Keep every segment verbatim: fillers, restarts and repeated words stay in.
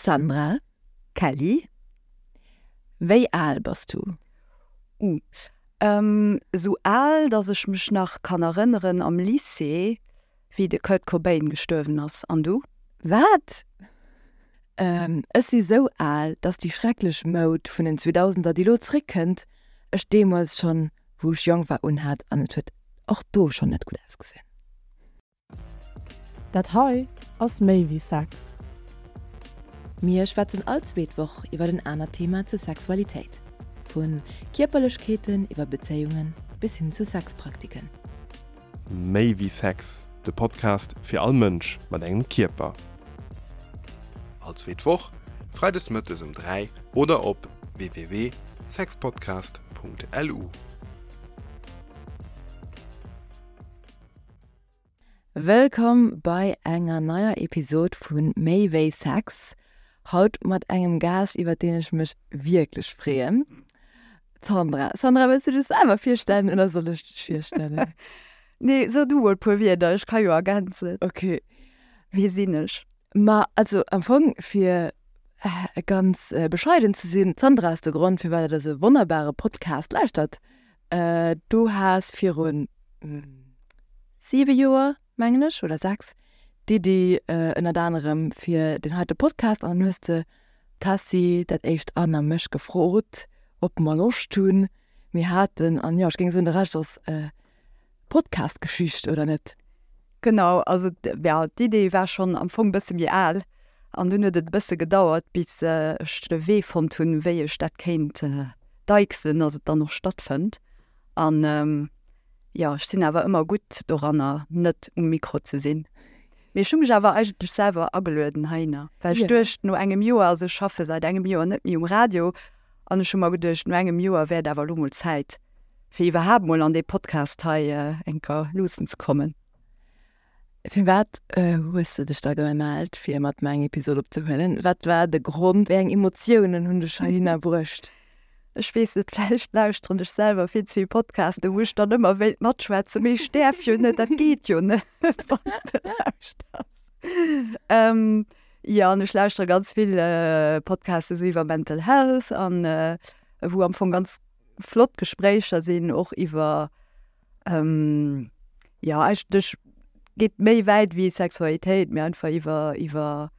Sandra, Kelly, wéi al bass du? Uh, ähm, sou al, dass ech mech nach kann erënneren am Lycée, wéi de Kurt Cobain gestuerwen ass. An du? Wat? Ähm, ech si sou al, dass déi schrecklech Moud vun den Zweedausender, déi lo zréckkënnt, ech deemools schonn, wou ech jonk war, unhat an et huet och do schonn net gutt ausgesinn. Dat hei ass méi wéi Sex. Mir schwätzen all zweet Woch iwwer en anert Thema zur Sexualitéit. Vu Kierperlechkeeten iwwer Bezéiungen bis hin zu Sexpraktiken. Méi wéi Sex, de Podcast fir all Mënsch mat engem Kierper. All zweet Woch, freides mëttes um dräi oder op www.sexpodcast.lu. Wëllkomm bei enger neier Episod vu Méi wéi Sex. Haut mat engem Gaascht, iwwer deen ech mech wierklech freeën, d'Sandra. Sandra, wëlls du dech selwer virstellen oder soll ech dech virstellen? Nee, so du mol e puer Wierder, ech ka jo ergänzen. Okay. Wie sinn ech? Ma also am Fong, fir ganz bescheiden ze sinn, d'Sandra ass de Grond, firwat der dëse wonnerbare Podcast lauschtert. Du has virun siwe Joer, mengen ech, oder sechs, d'Iddi ënnert anerem fir deen heite Podcast an dann hues de d'Tessy, dat éischt Anne a mech gefrot, ob mer Loscht hunn. Mir haten, an jo, ech géing soen, de Rescht ass Podcast-Geschicht, oder net? Genau, also ja, d'Idee war schonn am Fong e bësse méi al an dunn huet et e bësse gedauert, bis ech de Wee fonnt hunn, wéi ech dat kéint deichsen, dass et dann och stattfënnt. An jo, ech sinn awer ëmmer gutt doranner, net um Mikro ze sinn. Mee ech hu mech awer eigentlech selwer agelueden heihinner, well ech duecht, no engem Joer, also ech schaffe säit engem Joer net méi um Radio, an ech hu mer geduecht, no engem Joer wär et awer elo mol Zäit, fir iwwerhaapt mol an dee Podcast hei enker luussen ze kommen. Firwat hues de dech da gemellt, fir mat mer eng Episod opzehuelen? Wat war de Grond? Wéi eng Emotiounen hunn dech heihinner bruecht? Ech weess net, vläicht lauschteren ech selwer vill ze vill Podcasten, wou ech dann ëmmer wéilt matschwätzen, mee ech däerf jo net, dat geet jo net, wann s de lauschters. Jo, an ech lauschtere ganz vill Podcasten esou iwwer Mental Health an wou am Fong ganz flott Gespréicher sinn, och iwwer, jo, eigentlech geet méi wäit wéi Sexualitéit, mee einfach iwwer, iwwer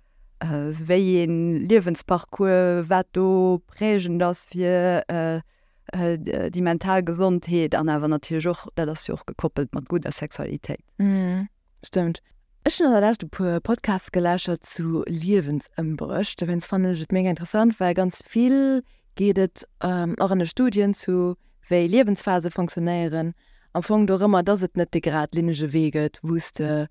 wéi een Liewensparcours, wat do prägend ass fir déi mental Gesondheet an awer natierlech och, dat ass jo och gekoppelt mat gudder Sexualitéit. Stëmmt. Ech hunn an der Lescht e puer Podcasts geläschert zu Liewensëmbréch. Dowéinst fannen ech et mega interessant, well ganz vill geet et och an de Studien zu wéi Liewensphase fonctionnéieren, am Fong dorëmmer, dass et net de geradlinnege Wee gëtt, wou s de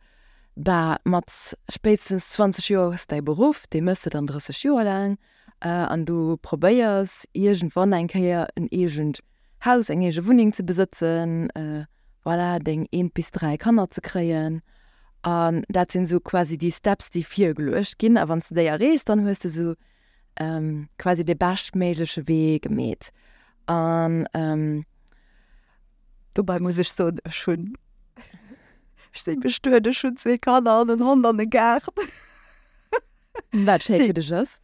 bah, mat spéitstens zwanzeg Joer hues däi Beruff, dee méchs de dann drësseg Joer laang an du probéiers iergendwann eng Kéier en eegent Haus, eng eege Wunneng ze besëtzen, voilà, deng eent bis dräi Kanner ze kréien. An dat sinn esou quasi déi Steps, déi virgeluecht ginn. A wann s de déi erreechs, dann hues de esou quasi de beschtméigleche Wee gemeet. An dobei muss ech soen, ech hunn, ech sinn bestuet, ech hunn zwee Kanner an en Hond an e Gaart. Wat schéi fir dech ass.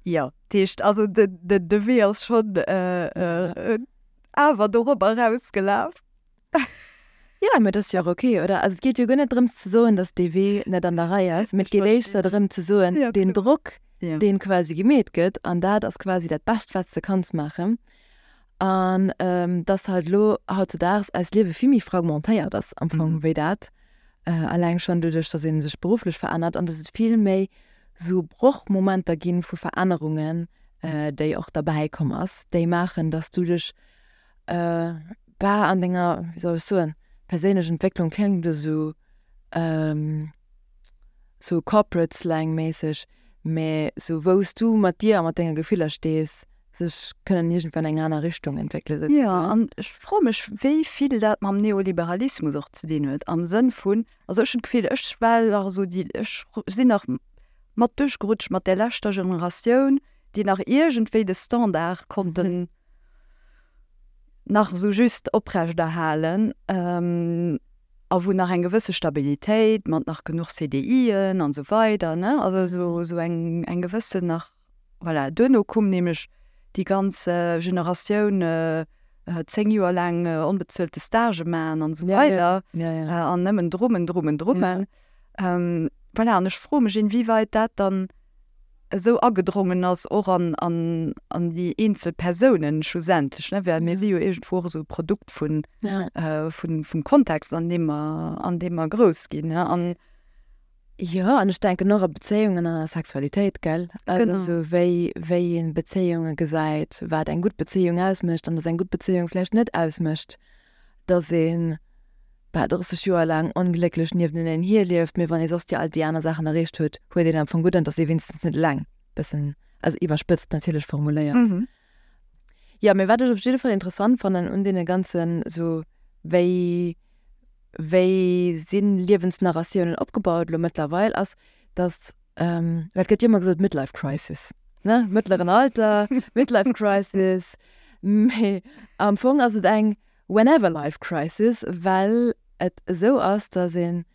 Jo, dat heescht, also de, de, de Wee ass schonn awer dorobber erausgelaf. Jo, mä dat ass jo och ok, oder? Also et geet jo guer net drëms ze soen, datt dee Wee net an der Rei ass, mä et geet éischter drëm ze soen, deen Drock, deen quasi gemeet gëtt, an dat ass quasi dat Bescht, wat s de kanns maachen. An dass halt elo hautzedaags eist Liewe vill méi fragmentéiert ass am Fong wéi dat, eleng schonn doduerch, dass ee sech berufflech verännert an dass et vill méi sou Brochmomenter gi vu Verännerungen, déi och derbäi komm ass, déi maachen, dass du dech bah an denger, wéi soll ech soen, perséinlech Entwécklung kléngt esou sou corporate slang méisseg, mä sou wou s du mat dir a mat denge Gefiller stees, sech kënnen iergendwann eng aner Richtung entwéckelen souzesoen. Jo, an ech froe mech, wéi vill dat mam Neoliberalismus och ze dinn huet, am Sënn vun, also ech hunn d'Gefill, ech war nach esou déi, ech sinn nach mat duerchgerutscht mat där leschter Generatioun, déi nach iergendwéi de Standard konnten nach esou just oprechterhalen. A A wou nach eng gewësse Stabilitéit mat nach genuch C D Ien an esou weider, ne? Also esou, esou eng, eng gewëssen nach, voilà. Duerno koum nämlech déi ganz Generatioun zéng Joer laang onbezuelte Stage maachen an esou weider. Ja, ja. Ja, ja. An nëmmen drummen, drummen, drummen. Ja. Voilà, an ech froe mech, inwieweit dat dann esou agedrongen ass, och an, an, an déi eenzel Persounen schlussendlech, ne? Well mir si jo iergendwou och esou e Produkt vun, Ja. vun, vum Kontext, an deem mer, an deem mer grouss ginn, ne? An Jo, an ech denken och a Bezéiungen an a Sexualitéit, gell? Also Genau. esou wéi, wéi een Bezéiunge gesäit, wat eng gutt Bezéiung ausmécht an dass eng gutt Bezéiung vläicht net ausmécht, dass een bal drësseg Joer laang onglécklech niewenteneen hierlieft, mee wann ee soss déi all déi aner Saachen erreecht huet, huet een am Fong gutt an dass ee wéinstens net eleng. Bëssen, also iwwerspëtzt natierlech formuléiert. Mhm. Ja, mee wat ech op jidde Fall interessant fannen un deene ganzen esou wéi, wéi sinn Liewensnarratiounen opgebaut elo mëttlerweil ass, dass, ähm, well et gëtt jo ëmmer gesot Midlife Crisis, ne? Mëttleren Alter, Midlife Crisis, mee am Fong ass et eng Whenever Life Crisis, well et esou ass, dass een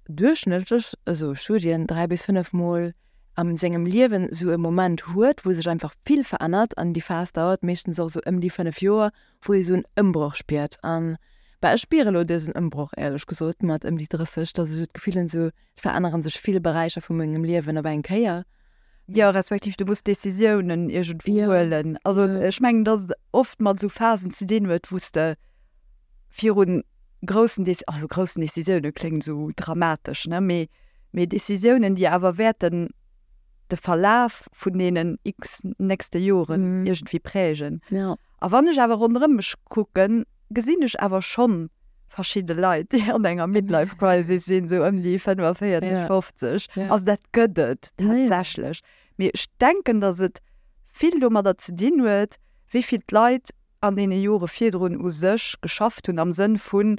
duerchschnëttlech, esou Studien, dräi bis fënnef Mol am sengem Liewen esou e Moment huet, wou sech einfach vill verännert an déi Phas dauert meeschtens och esou ëm déi fënnef Joer, wou ee esou en Ëmbroch spiert. An bah, ech spiere elo dësen Ëmbroch, éierlech gesot, mat ëm déi drësseg, dass ech et Gefill hunn, esou et verännere sech vill Beräicher vu mengem Liewen op eng Kéier. Jo, respektiv du muss Decisiounen iergendwou Ja. huelen. Also Ja. ech mengen, dass et oft mat esou Phasen ze dinn huet, wou s de virun groussen Deci-, also groussen Decisiounen kléngt esou dramatesch, ne? Mee, mee Decisiounen, déi awer wäerten de Verlaf vun deenen x nächste Joren Mhm. iergendwéi prägen. Ja. A wann ech awer ronderëm mech kucken, gesinn ech awer schonn verschidde Leit, déi an enger Midlife Crisis sinn, sou ëm déi fënnefenvéierzeg, Ja. fofzeg. Ja. Also dat gëtt et Ja, ja. tatsächlech. Mee ech denken, dass et vill domadder ze dinn huet, wéi vill d'Leit an deene Jore virdrun u sech geschafft hunn, am Sënn vun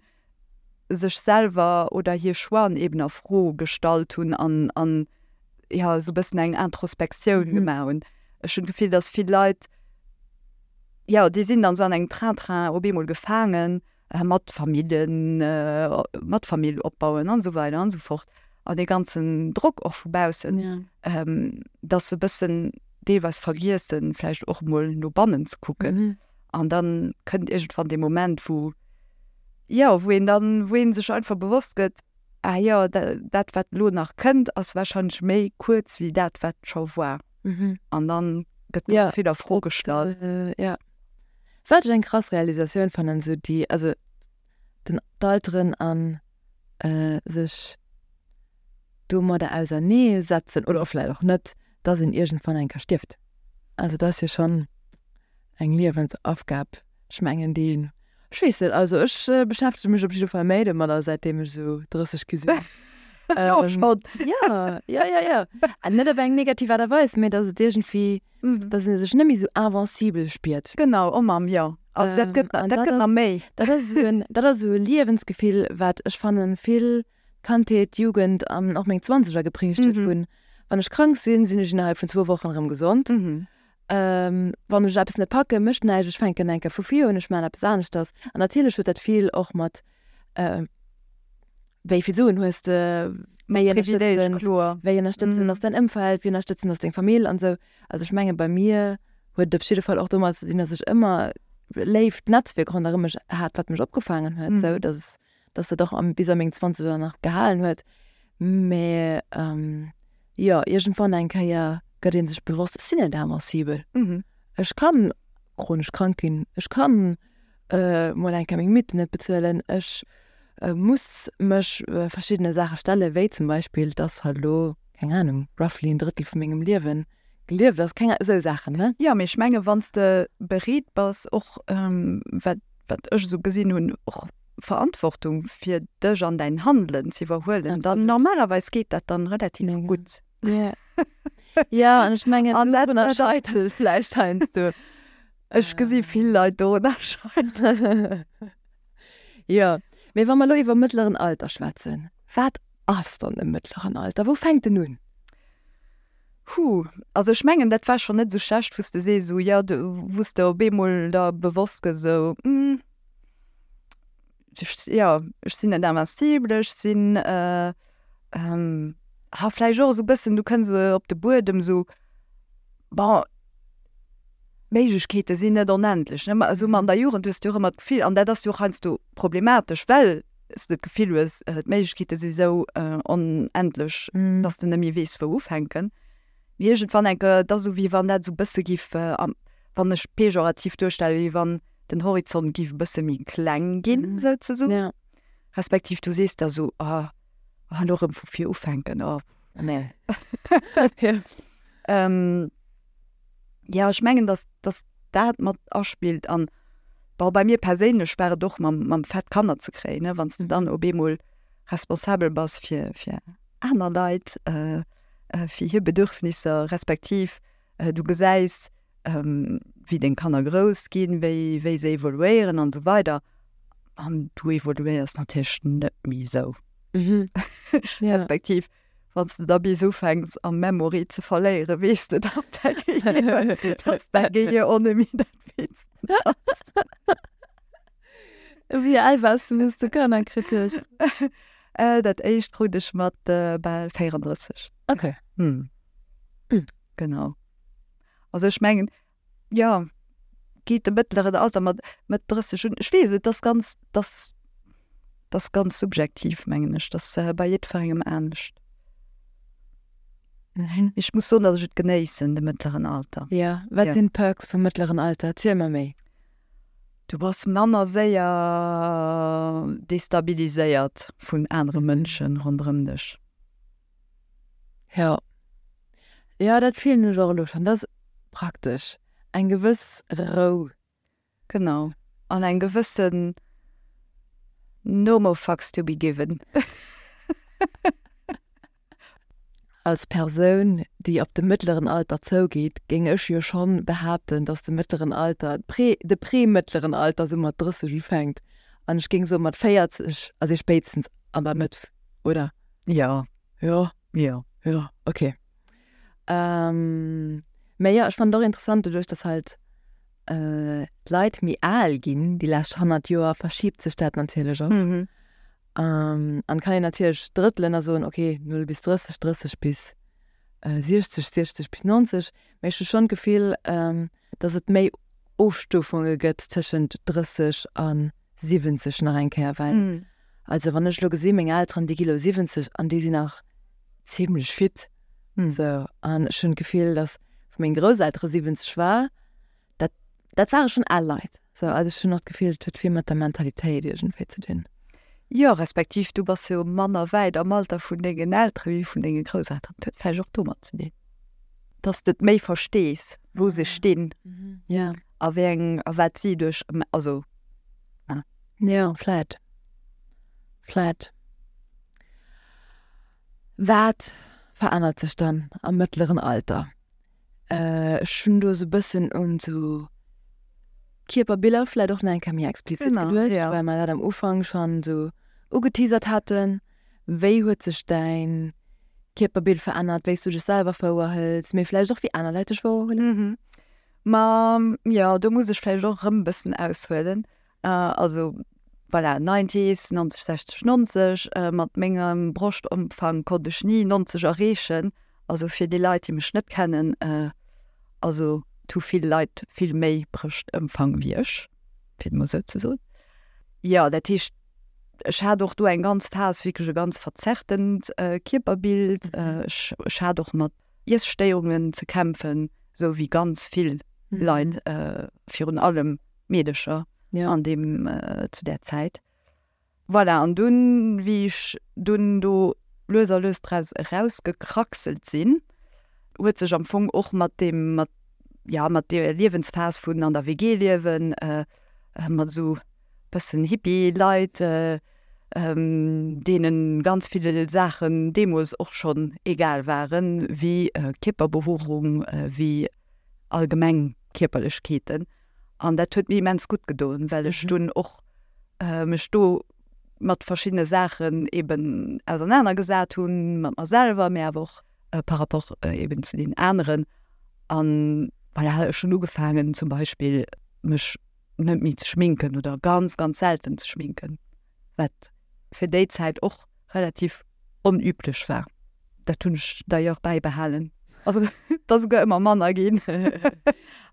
sech selwer oder hir Choixen eben a Fro gestallt hunn an, an ja, sou bëssen eng Introspektioun Mhm. gemaach hunn. Ech hunn d'Gefill, dass vill Leit, ja, déi sinn dann sou an engem Train-Train op eemol gefaangen, äh, mat Familljen, äh, mat Famill opbauen an esou weider an esou fort. An dee ganzen Drock och vu baussen, Ja. ähm, dass se bëssen deelweis vergiessen, vläicht och mol no bannen ze kucken. Mhm. An dann kënnt iergendwann dee Moment, wou, ja, wou een dann, wou een sech einfach bewosst gëtt, ah ja, da, dat wat lo nach kënnt, ass wahrscheinlech méi kuerz wéi dat wat scho war. Mhm. An dann gëtt Ja, ganz vill a Fro dat, gestallt. äh, ja. Wat ech eng krass Realisatioun fannen, sou déi, also den d'Alteren an äh, sech domadder auserneesetzen oder vläicht och net, dass een iergendwann eng Kéier stierft. Also dat ass jo schonn eng Liewensaufgab. Ech mengen déi, ech weess net, also ech äh, beschäftege mech op jidde Fall méi domadder, seitdem ech sou drësseg gi sinn. Ja, Ähm, schonn. ja, ja, ja, ja. An net op eng negativ Aart a Weis, mee dass et iergendwéi, Mhm. dass een sech net méi sou invincibel spiert. Genau, oh Mamm, ja. Also dat Ähm, gëtt, an dat dat gëtt nach ass, méi. dat ass sou en, dat ass sou e Liewensgefill, wat ech fannen vill Kandheet, Jugend an och meng Zwanzeger geprägt huet Mhm. vun, wann ech krank sinn, sinn ech innerhalb vun zwou Wochen erëm gesond. Mhm. Ähm, wann ech eppes net packe, mécht näischt, ech fänken eng Kéier vu vir un, ech maachen eppes aneschters. An natierlech huet dat vill och mat, äh, wéi vill Suen hues de, wéi Privileeg, ënnerstëtzend, kloer. wéi ënnerstëtzend Mhm. ass dein Ëmfeld, wéi ënnerstëtzend ass deng Famill an sou. Also ech menge bei mir huet et op jidde Fall och domat ze dinn, dass ech ëmmer léift Netzwierk ronderëm mech hat, wat mech opgefaangen huet, Mhm. sou, dass, dass dat och am, bis a meng Zwanzeger nach gehalen huet. Mee, ähm, jo, iergendwann eng Kéier gëtt een sech bewosst, ech sinn net invincibel. Mhm. Ech kann chronesch krank ginn, ech kann äh, mol eng Kéier meng Miete net bezuelen, ech äh, muss mech äh, verschiddene Saache stelle, wéi zum Beispill, dass halt lo, keng Ahnung, roughly en Drëttel vu mengem Liewen gelieft ass, keng, sou Saachen, ne? Ja, mee ech menge wann s de bereet bass, och ähm, wat, wat ech sou gesinn hunn, och Verantwortung fir dech an däin Handelen ze iwwerhuelen, dann Absolut. normalerweis geet dat dann relativ Mega. gutt. Ja. Ja, an ech mengen, An dat, dorunner dat, scheitert et vläicht heiansdo. ech gesi vill Leit dorunner scheitern. Ja, mee wa mer lo iwwer mëttleren Alter schwätzen, wat ass dann e mëttleren Alter? Wou fänkt den un? Huh, also ech mengen, dat war schonn net sou schlecht, wou s de sees, sou, ja, du, wou s de op eemol da bewosst gëss, sou, hm, Ech, jo, ech sinn net invincible, ech sinn, äh, ähm, ha vläicht och esou e bëssen, du kënns esou op de Buedem, esou, bon, d'Méiglechkeete sinn net onendlech, ne? Ma esou an der Jugend hues du och ëmmer d'Gefill, an dat ass jo och heiansdo problematesch, well s de d'Gefill hues, d'Méiglechkeete si sou onendlech, dass de net méi weess, wou ufänken. Mee iergendwann eng Kéier, et ass esou, wéi wann dat esou e bësse giff, wann ech pejorativ duerstellen, wéi wann den Horizont giff e bësse méi kleng ginn, souzesoen. Respektiv du sees der esou, oh, elo erëm vu vir ufänken, oh, nee. Jo, ech mengen, dass, dass dat mat aspillt. An bon, bei mir perséinlech war et och mam, mam Fait, Kanner ze kréien, ne, wann s de dann op eemol responsabel bass fir, fir aner Leit, fir hir Bedürfnisser, respektiv du gesäis, wéi deng Kanner grouss ginn, wéi, wéi se evoluéieren an esou weider. An du evoluéiers natierlech net méi esou. Respektiv wann s de da bis ufänks am Memory ze verléieren, weess de, dass däi Gehir, dass däi Gehir och net méi dat Witzt ass. Wéi al waars du, wéi s du Kanner kritt hues? Dat éischt krut ech mat bal véierandrësseg. Okay. Genau. Also ech mengen, jo, geet de mëttleren Alter mat Mëtt drësseg un. Ech weess et, dat ass ganz, dat ass ganz subjektiv, mengen ech. Dat ass bei jiddwerengem anescht. Ech muss soen, datt ech et genéissen, de mëttleren Alter. Jo, wat sinn d'Perks vum mëttleren Alter? Erziel mer méi. Du bass manner séier destabiliséiert vun anere Mënschen ronderëm dech. Jo. Jo, dat fillen ech och elo schonn. Dat ass praktesch. Eng gewëss Rou. Genau. An eng gewëssen no more fucks to be given. Als Persoun, déi op de mëttleren Alter zougeet, géing ech jo schonn behaapten, dass de mëttleren Alter, de premëttleren Alter sou mat drësseg ufänkt. An ech géing soen, mat véierzeg ass ee spéitstens an der Mëtt, oder? Jo. Jo? Jo. Jo, ok. Mä jo, ech fannen et och interessant, doduerch, dass halt d'Leit méi al ginn déi lescht honnert Joer, verschiebt sech dat natierlech och. An kann een natierlech drëttelen a soen, ok, null bis drësseg, drësseg bis siechzeg, siechzeg bis nonzeg. Mee ech hu schonn d'Gefill, datt et méi Ofstufunge gëtt tëschent drësseg a siwwenzeg nach eng Kéier, well also wann ech elo gesi meng Elteren, déi gi elo siwwenzeg an déi sinn nach zimlech fit esou. An ech hunn d'Gefill, datt wou meng Grousseltere siwwenzeg war, dat dat ware schonn al Leit. Sou, also ech hunn och d'Gefill, et huet vill mat der Mentalitéit iergendwéi ze dinn. Jo, respektiv du bass jo manner wäit am Alter vun dengen Eltere wéi vun denge Grousselteren. Dat huet vläicht och domat ze dinn, dass de et méi verstees, wou se stinn a wéi eng a wat si duerch, also. Jo, vläit. Vläit. Wat verännert sech dann am mëttleren Alter? Ech hunn do esou e bëssen un esou Kierperbiller vläit och nach eng Kéier méi explizit geduecht, well mer dat am Ufank schonn esou ugeteasert haten. Wéi huet sech däin Kierperbild verännert, wéi s du dech selwer wouerhëls, mee vläicht och wéi aner Leit dech wouerhuelen? Ma jo, do muss ech vläicht och erëm e bëssen aushuelen. Also voilà, Nineties, nonzeg, sechzeg, nonzeg, mat mengem Broschtomfang konnt ech ni nonzeg erreechen. Also fir déi Leit, déi mech net kennen, also et hu vill Leit vill méi Brëschtëmfang wéi ech, fir et mol esou ze soen. Jo, dat heescht, ech hat och do eng ganz Phas wierklech e ganz verzerrtent Kierperbild. Ech, ech hat och mat Iesstéierungen ze kämpfen, esou wéi ganz vill Leit, virun allem Meedecher an deem, zu där Zäit. Voilà, an dunn, wéi ech dunn do lues a lues draus erausgekraxelt sinn, huet sech am Fong och mat deem, mat, ja, mat deer Liewensphas vun an der W G liewen, mat esou bëssen Hippie-Leit, deene ganz vill Saachen deemools och schonn egal waren, wéi Kierperbehoerung, wéi allgemeng Kierperlechkeeten. An dat huet mir immens gutt gedoen, well ech dunn och mech do mat verschiddene Saachen eben ausernanergesat hunn, mat mer selwer, mee awer och par rapport eben zu den aneren. An voilà, ech hunn ugefaangen zum Beispill mech net méi ze schminken oder ganz, ganz selten ze schminken. Wat fir déi Zäit och relativ onüblech war. Dat hunn ech d'ailleurs bäibehalen. Also et ass souguer ëmmer manner ginn.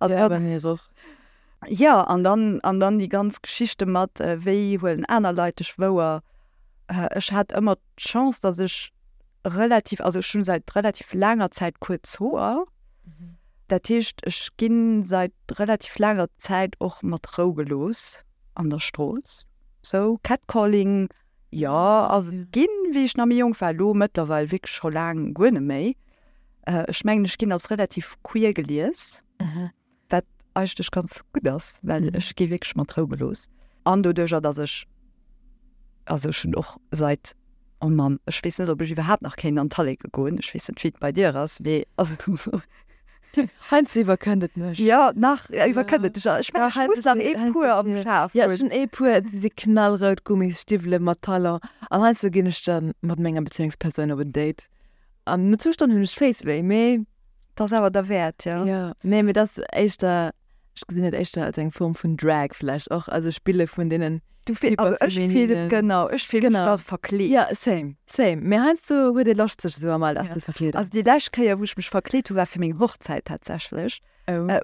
Also Ja, bei mir och. Jo, an dann, an dann déi ganz Geschichte mat, wéi huelen aner Leit dech wouer. Ech hat ëmmer d'Chance, datt ech relativ, also ech hunn säit relativ laanger Zäit kuerz Hoer. Dat heescht, ech ginn säit relativ laanger Zäit och mat Rou gelooss an der Strooss. Sou Catcalling, jo, ass et ginn, wéi ech nach méi jonk war, elo mëttlerweil wierklech scho laang guer net méi. Ech mengen, ech ginn als relativ queer gelies, wat eigentlech ganz gutt ass, well ech gi wierklech mat Rou gelooss. An doduercher, dass ech, also ech hunn och seit, oh Mann, ech weess net, ob ech iwwerhaapt nach kéint an d'Talleke goen, ech weess net, wéi et bei dir ass, mee also Heiansdo iwwerkënnt et mech. Jo, nach iwwerkënnt et dech. Ech mengen, ech muss nach ee puer am Schaf hunn. Jo, ech hunn ee puer, déi si knallrout, Gummisstiwwele mat Talon. An heiansdo ginn ech dann mat menger Bezéiungspersoun op en Date. An no zwou Stonnen hunn ech d'Féiss wéi, mee. Dat ass awer derwäert, jo. Jo, nee, mee dat ass éischter, ech gesinn et éischter als eng Form vun Drag vläicht och, also Spille vun deenen Du fill, also ech fill, genau, ech fill mech da verkleet. Jo, same, same. Mee heiansdo huet ee Loscht, sech esou am Alldag ze verkleeden. Also déi lescht Kéier, wou ech mech verkleet hu war fir meng Hochzäit tatsächlech,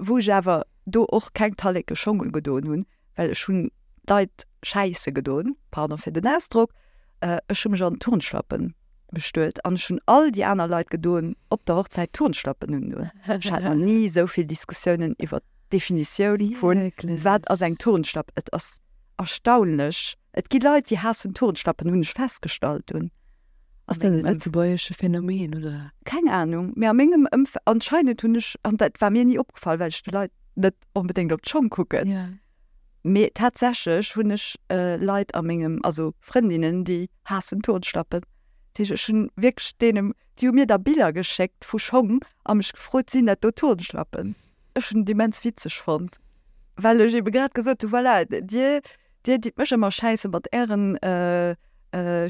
wou ech awer do och keng Talleke Schong ugedoen hunn, well ech hunn d'Leit schäisse gedoen, pardon fir den Ausdrock, ech hu mech an Turnschlappen bestuet an ech hunn all déi aner Leit gedoen op der Hochzäit Turnschlappen undoen. Ech hat nach ni esou vill Diskussiounen iwwer d'Definitioun vu wat ass eng Turnschlapp. Et ass erstaunlech. Et gi Leit, déi haassen Turnschlappen, hunn ech festgestallt dunn. Ass dat e lëtzebuergesche Phänomen, oder? Keng Anung, mee a mengem Ëmf-, anscheinend hunn ech, an dat war mir ni opgefall, well ech de Leit net onbedéngt op d'Schong kucken, mee tatsächlech hunn ech Leit a mengem, also Frëndinnen, déi haassen Turnschlappen. Dat heescht, ech hunn wierklech deene, déi hu mir da Biller geschéckt vu Schong a mech gefrot, sinn dat do Turnschlappen? Ech hunn et immens witzeg fonnt, well ech ebe grad gesot hu, voilà, dir, dir ditt mech ëmmer schäisse mat ären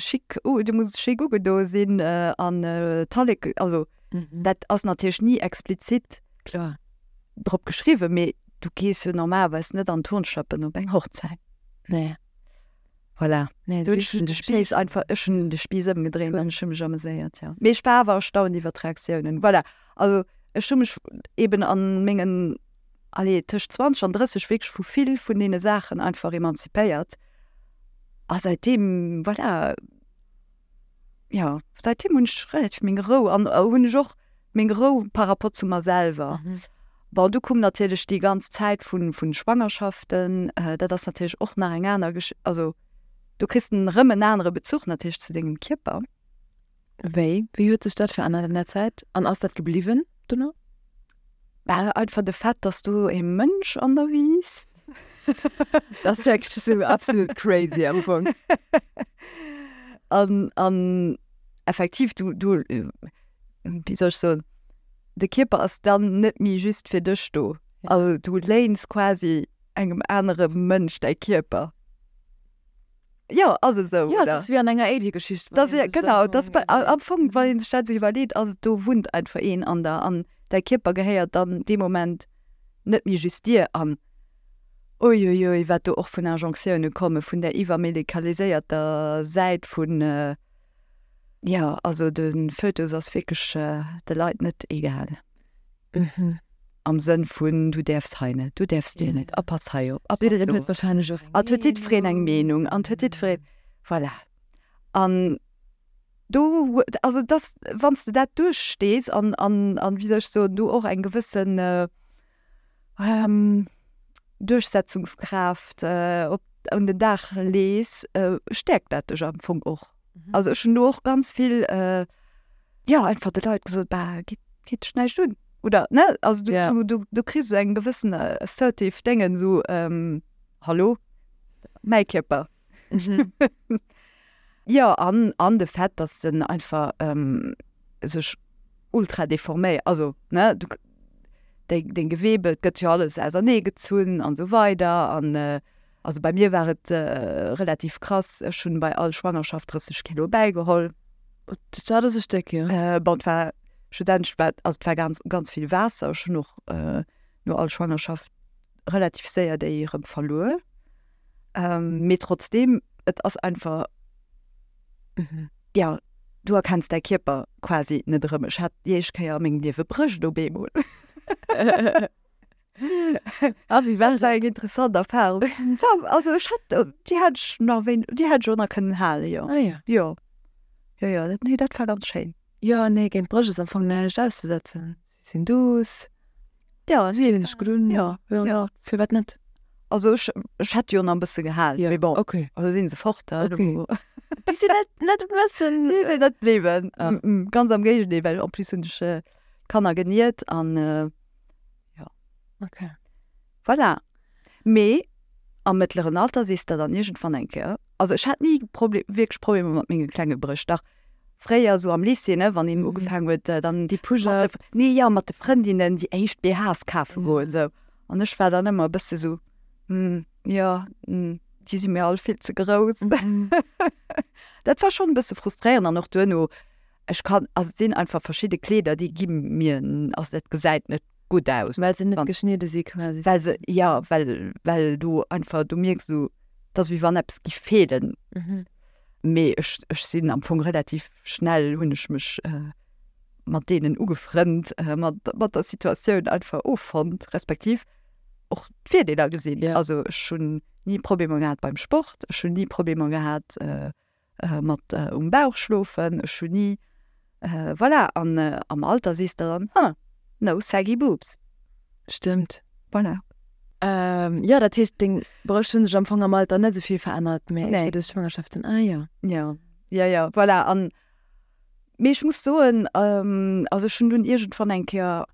chic, dir musst chic ugedo sinn an Tallek, also dat ass natierlech ni explizit drop geschriwwen, mee du gees jo normalerweis net an Turnschlappen op eng Hochzäit. Nee. Voilà. Nee, Du ech hunn de Spiiss einfach, ech hunn de Spiiss ëmgedréint an ech hu mech ameséiert, jo. Mee ech war awer erstaunt iwwer d'Reaktiounen. Voilà. Also ech hu mech eben a mengen, allez, tëscht zwanzeg an drësseg wierklech vu vill vun deene Saachen einfach emanzipéiert. A säitdeem, voilà, jo, säitdeem hunn ech relativ meng Rou an hunn ech och meng Rou par rapport zu mer selwer. Bon, du koum natierlech déi ganz Zäit vu vu Schwangerschaften, dat ass natierlech och nach eng aner Gesch-, also du kriss en erëm en anere Bezuch natierlech zu dengem Kierper. Wéi? Wéi huet sech dat verännert an der Zäit an ass dat gebliwwen dono? Bah, einfach de Fait, dass do e Mënsch an der wiisst. Dat ass wierklech esou absolut crazy am Fong. An, an effektiv, du, du, wéi soll ech soen, de Kierper ass dann net méi just fir dech do. Also du léins quasi engem anere Mënsch däi Kierper. Jo, ass et esou, Ja, oder? dat ass wéi an enger Alien-Geschicht. Das, ja, genau, das bei, am Fong, wann een sech dat esou iwwerleet, ass et, do wunnt einfach een an der an däi Kierper gehéiert dann dee Moment net méi just dir. An uiuiui, wat do och vun Injonctioune komme vun där iwwermedikaliséierter Säit vun, jo, also de Fötus ass wierklech de Leit net egal. Am Sënn vun, du däerfs hei net, du däerfs do net, a pass hei op, a pass Jiddereen do huet op. wahrscheinlech och eng An et huet jiddwereen eng Meenung. Meenung an et huet jiddwereen, voilà. An do, also et ass, wann s de dat duerchstees an, an, an, wéi soll ech soen, du och eng gewëssen Duerchsetzungskraaft op, un den Dag lees, stäerkt dat dech am Fong och. Also ech hunn do och ganz vill, jo, einfach de Leit gesot, bah, geet, geet dech näischt un. Oder, ne, also du, Ja. du, du, du kriss esou eng gewëssen assertive Déngen, esou, hallo, mäi Kierper. Jo, an, an de Fait, dass den einfach sech ultra deforméiert, also, ne, du, deng, deng Gewebe, et gëtt jo alles auserneegezunn an esou weider an, also bei mir war et relativ krass, ech hunn bei all Schwangerschaft drësseg Kilo bäigeholl. Dat ass e Stéck, jo. Bon, et war schlussendlech war, also et war ganz, ganz vill Waasser, ech hunn och no all Schwangerschaft relativ séier déi erëm verluer, mee trotzdeem, Et ass einfach, jo, du erkenns däi Kierper quasi net erëm. Ech hat déi éischt Kéier a mengem Liewe Brëscht op eemol. Ah, wéi war Dat war eng interessant Erfahrung. War, also ech hat, déi hätt ech nach wéin, déi hätt ech och nach kënnen halen, jo. Ah ja. Jo. Jo, jo, dat, nee, dat war ganz schéin. Jo, nee, géint Brëscht ass am Fong näischt auszesetzen. Si sinn duuss. Ja, si fillen sech gutt un. Ja, jo, ja. Firwat net? Also ech, ech hätt jo nach e bësse gehal, Ja, mee bon, okay. elo si se fort, Okay. Déi sinn net, net e bëssen. Déi sinn net bliwwen. Ah. Ganz am Géigendeel, well en plus hunn ech d'Kanner geniert an jo. Okay. Voilà. Mee am mëttleren Alter sees de dann iergendwann eng Kéier, also ech hat ni Proble wierklech Problemer mat menge klenge Brëscht, dach fréier esou am Lycée, ne, wann een ugefaangen huet dann Déi mat de, Push-ups. nee, jo, mat de Frëndinnen déi éischt BHs kafe goen esou. An ech war dann ëmmer e bësse sou, hm, jo, hm, déi si mir all vill ze grouss. Dat war schonn e bësse frustréierend an och duerno, ech kann, also et sinn einfach verschidde Kleeder, déi gi mir, also dat gesäit net gutt aus. Well se net geschnidde si quasi. Well se, jo, well, well du einfach, du mierks esou, et ass wéi wann eppes giff feelen. Mee ech, ech sinn am Fong relativ schnell hunn ech mech mat deenen ugefrënnt, mat, mat der Situatioun einfach offonnt, respektiv och d'Virdeeler gesinn. Ja. Also ech hunn ni Problemer gehat beim Sport, ech hunn ni Problemer gehat mat um Bauch schlofen, ech hunn ni, voilà. An am Alter sees de dann, huh, no saggy boobs. Stëmmt. Voilà. Ähm, jo, dat heescht, deng Brëscht hunn sech am Fong am Alter net esou vill verännert, mee Nee. éischter duerch d'Schwangerschaften. Ah jo. Ja, ja, ja, voilà. An, mee ech muss soen, also ech hunn dunn iergendwann eng Kéier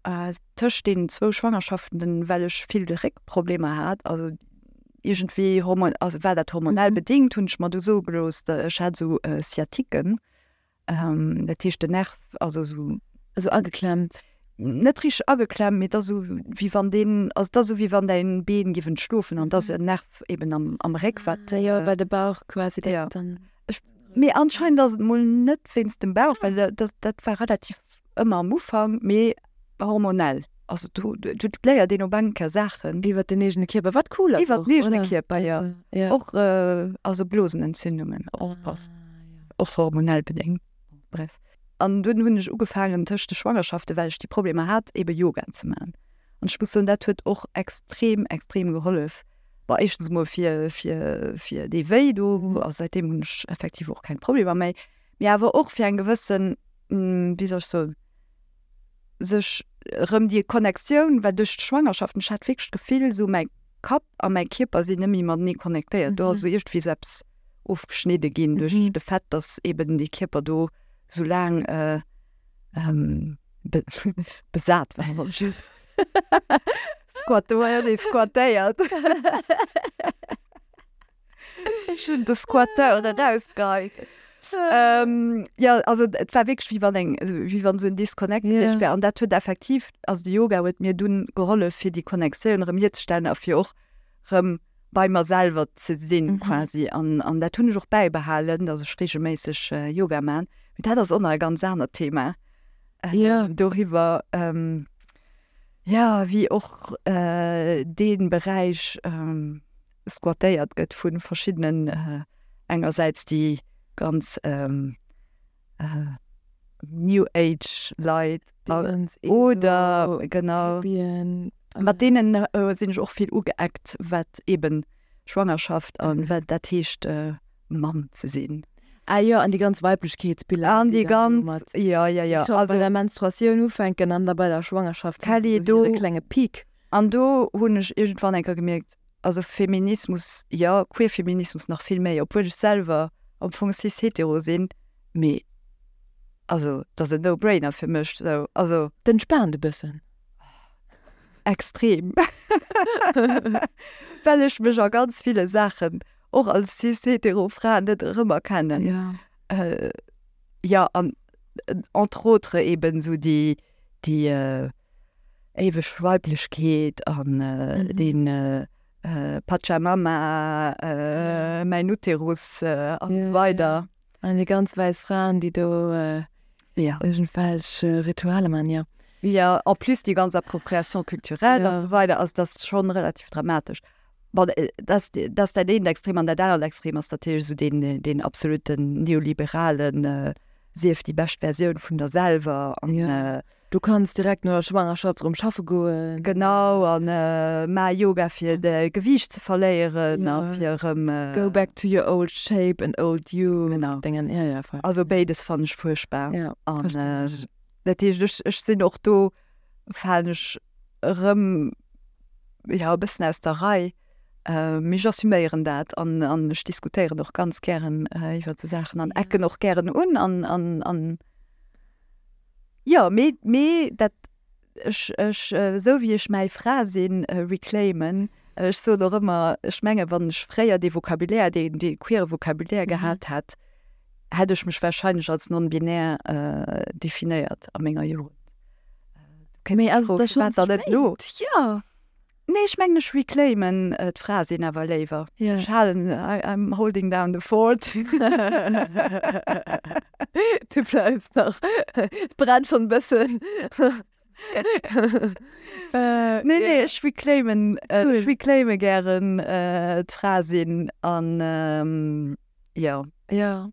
tëscht deenen zwou Schwangerschaften, well ech vill Réckproblemer hat, also iergendwéi hormon, also war dat hormonell bedingt, hunn ech mer du soe gelooss, ech hat esou Sciatiquen, dat heescht den Nerv, also esou. Also ageklemmt? Net richteg ageklemmt, mee et ass esou wéi wann deen, also et ass esou wéi wann däin Been giff entschlofen an et ass en Nerv eben am, am Réck wat. Ah jo, well de Bauch quasi direkt dann. Ech, mee anscheinend ass et mol net wéinst dem Bauch, well dat, dat war relativ ëmmer am Ufank, mee hormonell. Also do, do léiert een op eng Kéier Saachen. Iwwert den eegene Kierper, wat cool ass Iwwert och, den eegene oder? Kierper, jo. Ja. Och also Blosenentzündungen, opgepasst. Och hormonell bedéngt. Bref. An dunn hunn ech ugefaangen tëscht de Schwangerschaften, well ech déi Problemer hat, ebe Yoga ze maachen. An ech muss soen, dat huet och extrem, extrem gehollef. Bon, éischtens emol fir, fir, fir dee Wéi do, also säitdeem hunn ech effektiv och keng Problemer méi, mee awer och fir eng gewëssen, wéi soll ech soen, sech erëm déi Connectioun, well duerch d'Schwangerschaften, ech hat wierklech d'Gefill, esou mäi Kapp a mäi Kierper sinn net méi matenee connectéiert. Do ass esou iergendwéi esou eppes ofgeschnidde ginn duerch de Fait, dass eben dee Kierper do sou laang besat war, wollt ech soen. Squat, do war jo dee squattéiert. Ech hunn de Squatteur erausgeheit. Jo, also et war wierklech wéi wann eng, wéi wann esou en Disconnect gewiescht wär. An dat huet effektiv, also de Yoga huet mir dunn gehollef, fir déi Connectioun erëm hierzestellen a fir och erëm bei mer selwer ze sinn quasi. An, an dat hunn ech och bäibehalen, dass ech regelméisseg Yoga man. Mee dat ass och nach e ganz anert Thema. Ja. Doriwwer, ja, wéi och dee Beräich squattéiert gëtt vu verschiddenen, engersäits déi ganz New Age Leit oder genau mat deenen sinn ech och vill ugeeckt, wat eben Schwangerschaft an wat dat heescht Mamm ze sinn. Ah jo, an déi ganz Weiblechkeetsbiller, An déi ganz, jo, jo, jo. Déi scho bei der Menstruatioun ufänken an da bei der Schwangerschaft Kelly, do hire klenge Peak. An do hunn ech iergendwann eng Kéier gemierkt, also Feminismus, jo, Queerfeminismus nach vill méi, obwuel ech selwer am Fong cis-hetero sinn, mee also dat ass en No-Brainer fir mech sou, also. D'entspaant e bëssen. Extrem. Well ech mech a ganz ville Saachen och als cis-hetero Fra net erëmerkennen. Ja. Jo, an entre autres eben sou déi, déi éiweg Weiblechkeet an deen Pachamama, mäin Uterus an esou weider. An déi ganz wäiss Fraen, déi do iergendwelch Ritualer man, jo. Jo, en plus déi ganz Appropriation culturelle an esou weider, also dat ass schonn relativ dramatesch. Bon, dat dat ass dat eent Extrem an dat anert Extrem ass natierlech esou deen deen absoluten neoliberalen sief déi bescht Versioun vun der selwer an Ja. Du kanns direkt no der Schwangerschaft erëm schaffe goen. Genau an maach Yoga fir de Gewiicht ze verléieren a Ja. fir erëm Go back to your old shape and old you. Genau. Dingen, ja, ja, voll. Also béides fannen ech fuerchtbar. Ja, An verstinn ech. dat heescht ech ech sinn och do falen ech erëm ja e bëssen aus der Rei. Mee ech assuméieren dat an an ech diskutéieren och ganz gären iwwer esou Saachen an ecken och gären un an an an jo mee mee dat ech ech esou wéi ech mäi Fra sinn reclaimen, ech soen och ëmmer, ech menge wann ech fréier dee Vocabulaire, dee dee queere Vocabulaire gehat hätt, hätt ech mech wahrscheinlech als non-binär definéiert a menger Jugend. Du kéints Mee mech ass et froen, da schonn firwat dann ze net elo? spéit? Jo. Nee, ech mengen ech reclaimen d'Fra sinn awer léiwer. Ja. Ech halen, I, I'm holding down the fort. Du bleifs nach. Et brennt schonn e bëssen. Nee, nee, ech reclaimen, ech reclaime gären d'Fra sinn an jo. Jo.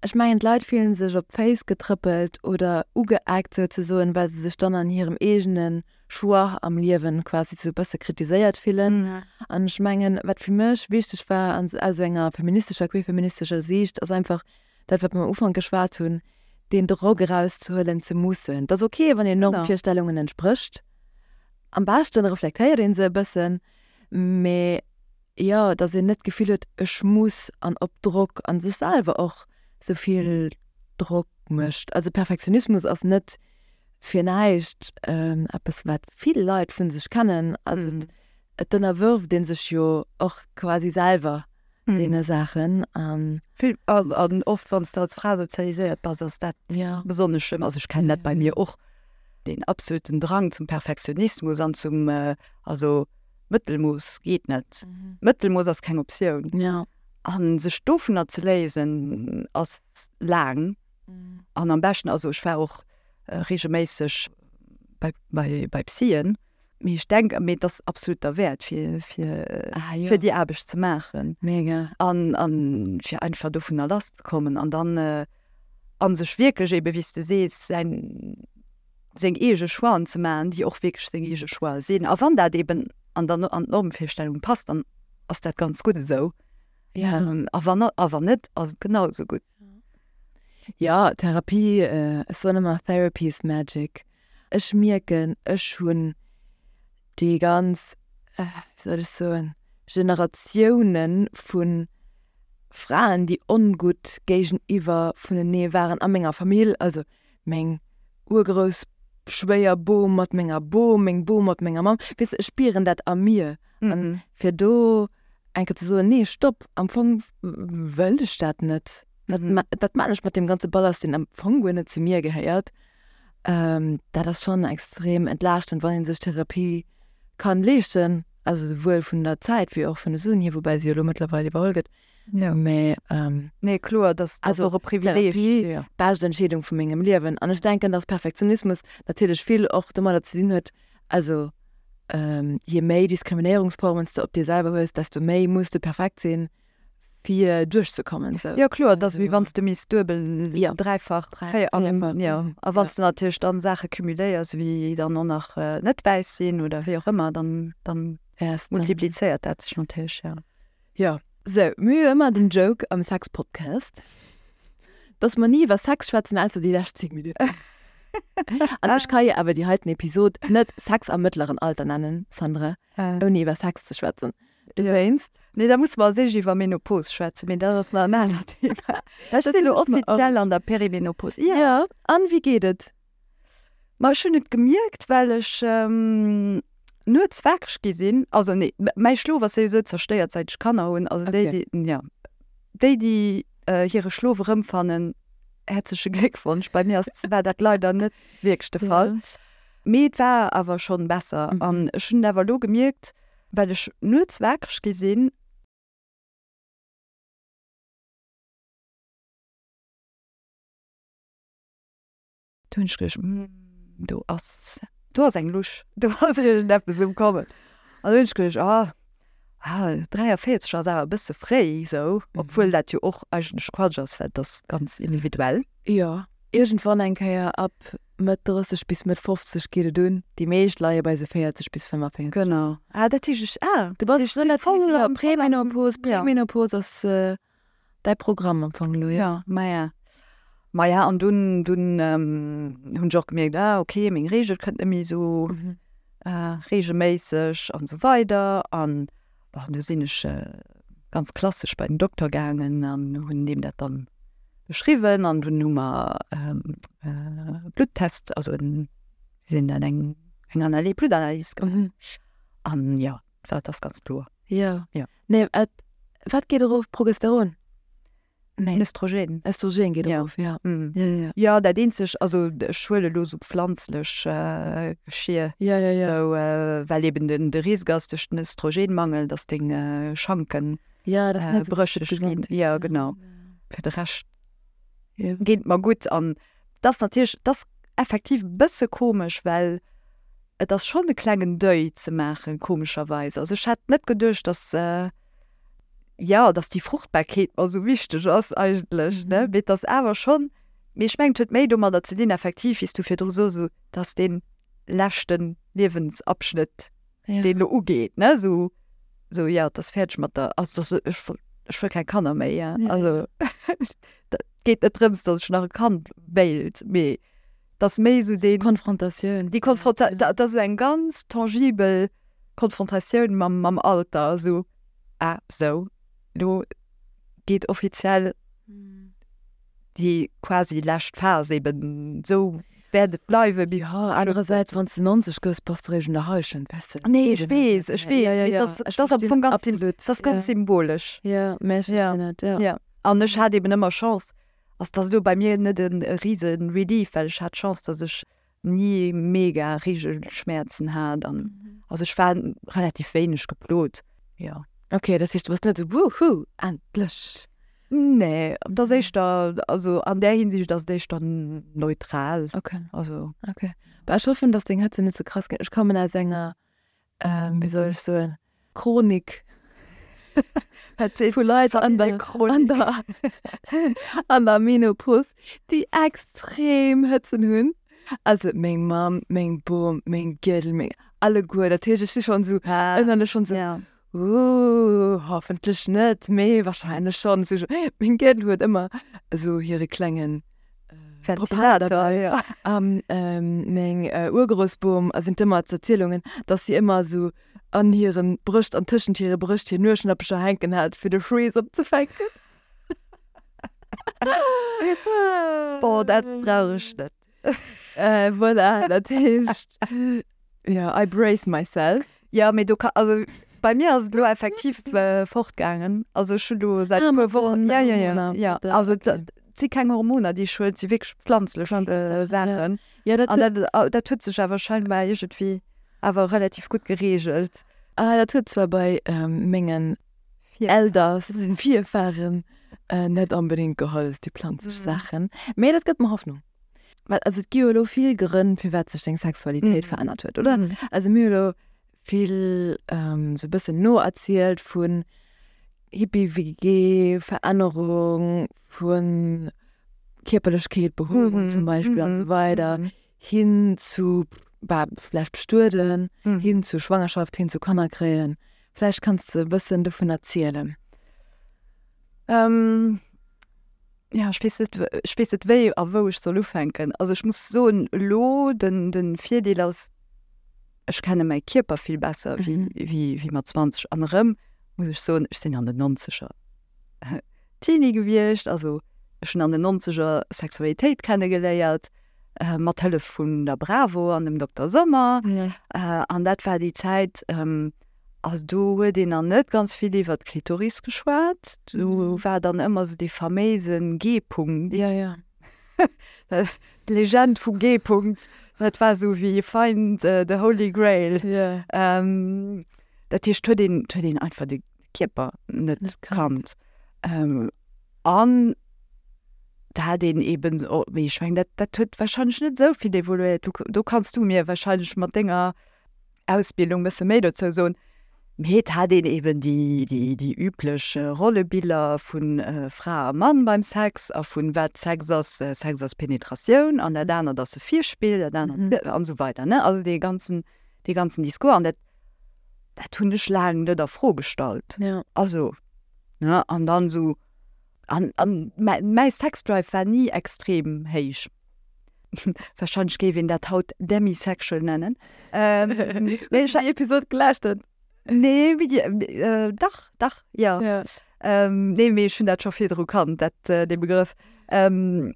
Ech mengen d'Leit fillen sech op d'Féiss getrëppelt oder ugeeckt souzesoen, well se sech dann an hirem eegene Choix am Liewen quasi sou e bësse kritiséiert fillen. An ech mengen, wat fir mech wichteg war an aus sou enger feministescher, queerfeministescher Siicht, ass einfach dat, wat mer am Ufank geschwat hunn, den Drock erauszehuelen ze mussen. Et ass okay, wann een Normvirstellungen entsprécht. Am beschten reflektéiert een se e bëssen, mee jo, datt een net d'Gefill huet, ech muss an op Drock an sech selwer och sou vill Drock mécht. Also Perfektionismus ass net fir näischt eppes, wat vill Leit vun sech kennen. Also et ënnerwërft ee sech jo och quasi selwer deene Saachen an. Vill an oft wann s de als Fra sozialiséiert bass, ass dat besonnesch schlëmm. Also ech kennen dat bei mir och, deen absoluten Drang zum Perfektionismus an zum, also Mëttelmooss geet net. Mëttelmooss ass keng Optioun. Ja. An sech dovunner ze léisen ass laang. An am beschten, also ech war och regelméisseg bei, bei, bei Psyen, mee ech denk, mee et ass absolut derwäert fir, fir, Ah, jo. fir déi Aarbecht ze maachen. Mega. An, an fir einfach dovunner lass ze kommen an dann an sech wierklech ebe wéi s de sees säin, seng eege Choixen ze maachen, déi och wierklech seng eege Choixë sinn. A wann dat eben an der, an d'Normvirstellung passt, dann ass dat ganz gutt esou. Ja. A wann, a wann net, ass et genau esou gutt. Ja, Therapie, ech soen ëmmer Therapy is magic. Ech mierken, ech hunn déi ganz, wéi soll ech soen, Generatioune vu Fraen, déi ongutt géigeniwwer vunenee waren a menger Famill, also meng Urgrouss Schwéierbom mat menger Bom, meng Bom mat menger Mamm, weess de, ech spieren dat a mir. An fir do eng Kéier ze soen, nee, stopp, am Fong wëll ech dat net. Wat wat maan ech mat deem ganze Ballast, deen am Fong guer net zu mir gehéiert? Dat ass schonn extrem entlaaschtend, wann ee sech Therapie kann leeschten, also souwuel vun der Zäit wéi och vun de Suen hier, woubäi se jo elo mëttlerweil iwwerholl gëtt. Mee Nee, kloer, dat ass och e Privileeg. Therapie, bescht Entscheedung vu mengem Liewen. An ech denken, dass Perfektionismus natierlech vill och domadder ze dinn huet, also je méi Diskriminéierungsformen s de op dir selwer hues, desto méi muss de perfekt sinn, fir duerchzekommen. Sou. Jo, kloer, dat ass wéi wann s de misst duebel, Ja. dräifach, véier, Véierfach, jo. A wann s de natierlech dann Saache cumuléiers, wéi dann och nach net wäiss sinn oder wéi och ëmmer, dann, dann multiplizéiert dat sech natierlech, jo. Jo. Sou, mir hu jo ëmmer den Joke am Sex-Podcast, dass mer ni iwwer Sex schwätzen, ausser déi lescht zéng Minutten. An ech ka jo awer déi heiten Episod net Sex am mëttleren Alter nennen, Sandra, ouni iwwer Sex ze schwätzen. Dowéinst. Nee, da musse mer als éischt iwwer Menopos schwätzen, mee dat ass nach en anert Thema. Ech sinn elo offiziell an der Perimenopos. Jo. Ja, an wéi geet et? Ma ech hunn et gemierkt, well ech nuets wakereg gi sinn. Also nee, mäi Schlof ass souwisou zerstéiert, säit ech Kanner hunn. Also déi, déi, ja, déi, déi hire Schlof erëmfannen, häerzleche Gléckwonsch. Bei mir ass, war dat leider net wierklech de Fall. Mee et war awer schonn besser. An ech hunn et awer elo gemierkt, well ech nuets wakereg gi sinn. Do hunn ech geduecht, do ass, do ass eng Lusch, do ass iergendeppes um Kommen. An do hunn ech geduecht, ah, ah, dräiavéierzeg ass awer e bësse fréi esou, obwuel dat jo och eigentlech Quatsch ass, well dat ass ganz individuell. Jo, iergendwann eng Kéier ab Mëtt drësseg bis Mëtt fofzeg geet et un. Déi meescht leie bei sou véierzeg bis fënnefvéierzeg. Genau. Ah, dat heescht ech, ah, Du bass dat heescht, relativ, voll ja, am, voll am, Premenopos, ja. Premenopos ass däi Programm am Fong elo, jo? Ja, maja. Maja, an dunn, dunn hunn ech och gemierkt, ah, okay, meng Reegel kënnt net méi esou reegelméisseg an esou weider. An bon, du sinn ech ganz klassesch bei den Dokter gaangen an hunn deem dat dann beschriwwen an dunn hu mer e Bluttest, also en, wéi seet een dat, eng eng Analy Bluttanalys gemaach. An jo, dat ass ganz kloer. Jo. Jo. Nee, et, wat geet erof? Progesteron? Nee. Östrogen. Östrogen geet Ja. erof, ja. Mm. Ja, ja, ja. Jo, dat eenzeg, also ech huele elo sou pflanzlech Geschir. Ja, ja, ja. Sou, well eben den de Risk ass duerch den Östrogenmangel, dass deng Schanken Ja, dat ass net sou brëcheg ginn. gesond. Ja, genau. Fir de Rescht Ja. geet et mer gutt an et ass natierlech, et ass effektiv e bësse komesch, well et ass schonn e klengen Deuil ze maachen, komescherweis. Also ech hätt net geduecht, dass, jo, dass déi Fruchtbarkeet mer esou wichteg ass eigentlech, ne, mee et ass awer schonn, mee ech mengen et huet méi domadder ze dinn effektiv, wéi s du virdru sos, esou dass dee leschte Liewensabschnitt, Ja. deen elo ugeet, ne, esou, esou jo, et ass fäerdeg mat der, also dass ech wëll, ech wëll keng Kanner méi, ja, Ja. also dat geet net drëms, dass ech nach e Kand wéilt, mee et ass méi esou deen, Konfrontatioun. déi Konfronta, dat ass esou eng ganz tangibel Konfrontatioun mam, mam Alter, esou, ah, sou, elo geet offiziell déi quasi lescht Phas eben, sou wäert et bleiwe bis Ja, zum Schluss. anerersäits, wann s de nonzeg gëss, bass de eréischt un der Hallschent, weess de. Nee, ech weess, ech weess, Ja, ja, mee ja. dat Ech ass am verstinn Fong ganz, absolut. dat ass ganz Ja. symbolesch. Ja, mä ech Ja. verstinn et, ja. Ja. An ech hat eben ëmmer Chance, also dat ass elo bei mir net e rise Relief, well ech hat Chance, dass ech ni mega Reegelschmerzen hat an also ech war relativ wéineg geplot. Ja. Okay, dat heescht, du bass net esou wuhu, endlech. Nee, dat ass éischter, also an där Hinsicht ass et éischter neutral. Okay. Also. Okay. Bah, ech hoffen, dass deng Hëtze net ze krass ginn. Ech kommen aus enger, ähm, wéi soll ech soen, Chronik vu Leit an der, an der, an der Menopos, déi extrem Hëtzen hunn. Also meng Mamm, meng Bom, meng Giedel, meng alleguer. Dat heescht, ech si schonn esou ënnerlech schonn esou, Ja. Uh, hoffentlech net, mee wahrscheinlech schonn. Esou, meng Giedel huet ëmmer esou hire klengen Ventilator, Propeller ja. An ähm, meng äh, Urgroussbom sinn ëmmer z'Erzielungen, dass si ëmmer esou an hiren Brëscht, an tëschent hire Brëscht hir Nueschnappecher hänken hat, fir de Schweess opzefänken. Boah, dat brauch ech net. Äh, voilà, dat heescht, ja, I brace myself. Ja, mee do ka, also bei mir ass et elo effektiv äh, fortgaangen. Also ech hunn elo säit Ah, e puer mat Wochen, den ja, ja, ja, Hormoner. ja. Da- Also okay. dat si keng Hormoner, déi ech huelen, si wierklech pflanzlech Pflanzlech äh, Saachen, ja. Saachen. Ja, dat An huet, dat, dat huet sech awer scheinbar iergendwéi awer relativ gutt gereegelt. ah, dat huet zwar bei ähm, mengen Elders, Virfahren äh, net onbedéngt gehollef, déi planzlech Mhm. Saachen. Mee dat gëtt mer Hoffnung. Well, also et gi jo elo vill Grënn, firwat sech deng Sexualitéit Mhm. verännert huet, oder? Mhm. Also mir hu elo vill ähm, sou e bëssen noerzielt vun Hippie-W G, Verännerung vun Kierperlechkeet, Behoerung Mhm. zum Beispill an Mhm. esou weider, Mhm. hin zu bah, vläicht bestueden, Mhm. hin zu Schwangerschaft, hin zu Kanner kréien. Vläicht kanns de e bëssen dovun erzielen. Ähm, ja, ech weess net, ech weess net wéi a wou ech soll ufänken. Also ech muss soen, elo den, den Virdeel ass, ech kenne mäi Kierper vill besser wéi, Mhm. wéi, wéi mat zwanzeg. An erëm muss ech soen, ech sinn an den nonzeger Teenie gewiescht, also ech hunn an den nonzeger Sexualitéit kennegeléiert, äh, mat Hëllef vun der Bravo an dem Dokter Sommer. Ja. Äh, an dat war déi Zäit, ähm, also do huet een dann net ganz vill iwwer d'Klitoris geschwat. Do war dann ëmmer sou dee faméise G-Punkt. Ja, ja. D'Legend vum G-Punkt, dat war sou wéi find the holy grail. Ja. Ähm, dat heescht, huet een, huet een einfach de Kierper net Net kannt. kannt. Ähm, an da hat een eben, oh, mee ech mengen, dat, dat huet wahrscheinlech net sou vill evoluéiert. Du, do kanns du mir wahrscheinlech mat denger Ausbildung bësse méi dozou soen. Mee et hat een eben déi, déi, déi üblech Rollebiller vun Fra a Mann beim Sex a vun wat Sex ass, Sex ass Penetratioun an dat anert ass e Virspill, dat anert an esou weider, ne? Also dee ganzen, dee ganzen Discours an dat, dat hunn ech laang net a Fro gestallt. Ja. Also, ne, an dann esou, an, an mäi, mäi Sexdrive war ni extrem héich. Wahrscheinlech géif een dat haut demisexual nennen. Mee ech déi Episod gelauschtert? Nee, äh, dach, dach, ja. Ja. Ähm, nee, mee ech hunn dat scho virdru kannt, dat, äh, dee Begrëff. Ähm,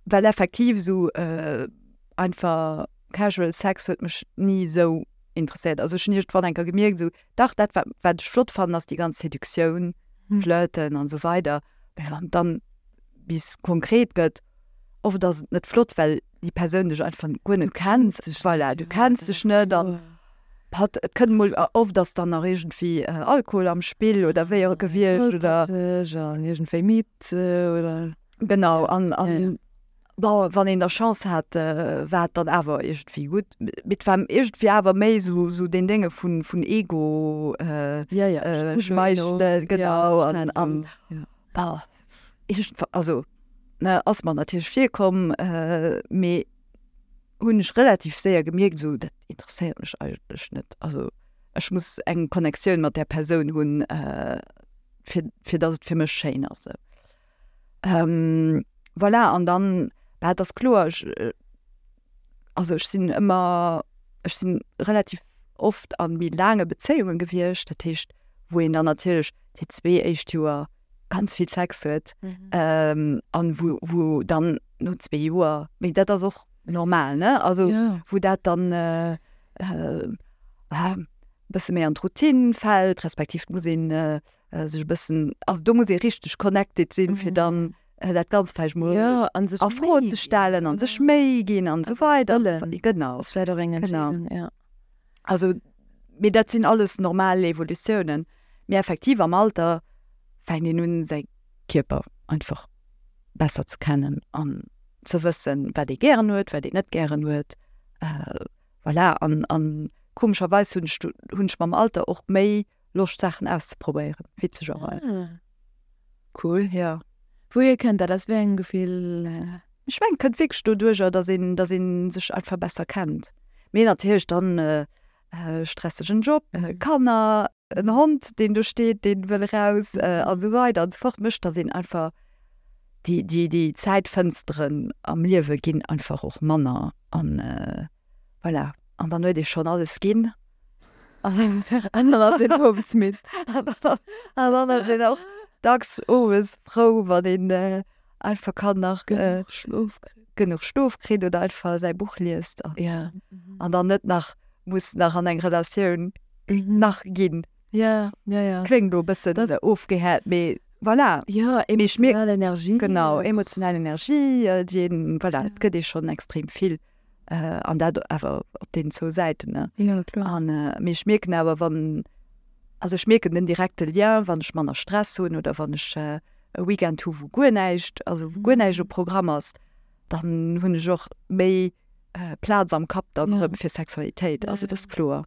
well effektiv esou äh, einfach casual Sex huet mech ni esou interesséiert. Also ech hunn iergendwann eng Kéier gemierkt, esou, dach, dat wat, wat ech flott fannen, ass déi ganz Seduktioun, Mhm. Flirten an esou weider. Mee wann dann bis konkret gëtt, oft ass et net flott, well déi Persoun dech einfach guer net kennt. Voilà, du kenns dech net an hat, et kënnt mol, oft ass dann nach iergendwéi Alkohol am Spill oder wéi och gewiescht oder. Tollpatscheg an iergendwéi midd oder. Genau, an, an bon, wann een da Chance hat, war et dann awer iergendwéi gutt. Mee et war iergendwéi awer méi sou, sou deen Dénge vun, vun Ego, Ja, ja, schmeichelen, genau, an, an bon, iergendwa, also, ne, ass mer natierlech virkomm, mee hunn ech relativ séier gemierkt, esou, dat interesséiert mech eigentlech net. Also ech muss eng Connectioun mat där Persoun hunn, fir, fir datt et fir mech schéin ass. Ähm, voilà, an dann, bah, et ass kloer, ech, also ech sinn ëmmer, ech sinn relativ oft a méi laange Bezéiunge gewiescht, dat heescht, wou een dann natierlech déi zwee éischt Joer ganz vill Sex huet, ähm, an wou, wou dann no zwee Joer, mee dat ass och normal, ne? Also Ja. wou dat dann äh, äh, ah, bësse méi an d'Routine fält, respektiv muss een äh, äh, sech e bëssen, also do muss ee richteg connected sinn, fir dann äh, dat Ganzt vläicht mol Ja, an sech a Fro Méi ze ginn. stellen an sech Méi ginn an esou weider. Wëllen. Genau. Das wär doch eng Genau. Entscheedung, ja. Also, mee dat sinn alles normal Evolutiounen. Mee effektiv am Alter fänkt een un, säi Kierper einfach besser ze kennen an ze wëssen, wat ee gären huet, wat een net gären huet. Äh, voilà, an, an komescherweis hunn ech, hunn ech mam Alter och méi Loscht, Saachen auszeprobéieren, witzegerweis. Ah. Cool. Ja. Wouhier kënnt dat? Aus wéi engem Gefill? Äh? Ech mengen, kënnt wierklech doduercher, dass een, dass een sech einfach besser kennt. Mee natierlech dann äh, äh, stressegen Job, äh, Kanner, en Hond, deen do steet, deen wëll raus, äh, an esou weider an esou fort, mécht, dass een einfach déi, déi, déi Zäitfënsteren am Liewe ginn einfach och manner an äh, voilà. An dann huet ee schonn alles ginn. An dann ass een owes midd. An dann, an dann ass een och dacks owes frou, wann een äh, einfach kann nach äh, Genuch Schlof kritt. genuch Schlof kritt oder einfach säi Buch liest. An, Ja. an dann net nach muss nach an eng Relatioun nach ginn. Ja, ja, ja. Kléngt elo e bëssen Das- ofgehäert, mee voilà. Ja, Mee ech mierk- emotional Energie. Genau, emotional Energie, äh, déi een, voilà, Ja. et gëtt ee schonn extrem vill. Äh, an dat awer op den zwou Säiten, ne? Ja, kloer. An äh, mee ech mierken awer, wann, also ech mierken den direkte Lien, wann ech manner Stress hunn oder wann ech äh, e Weekend hu wou guer näischt, also wou guer näischt um Programm ass, dann hunn ech och méi äh, Plaz am Kapp dann Ja. erëm fir Sexualitéit. Ja, Also ja. dat ass kloer.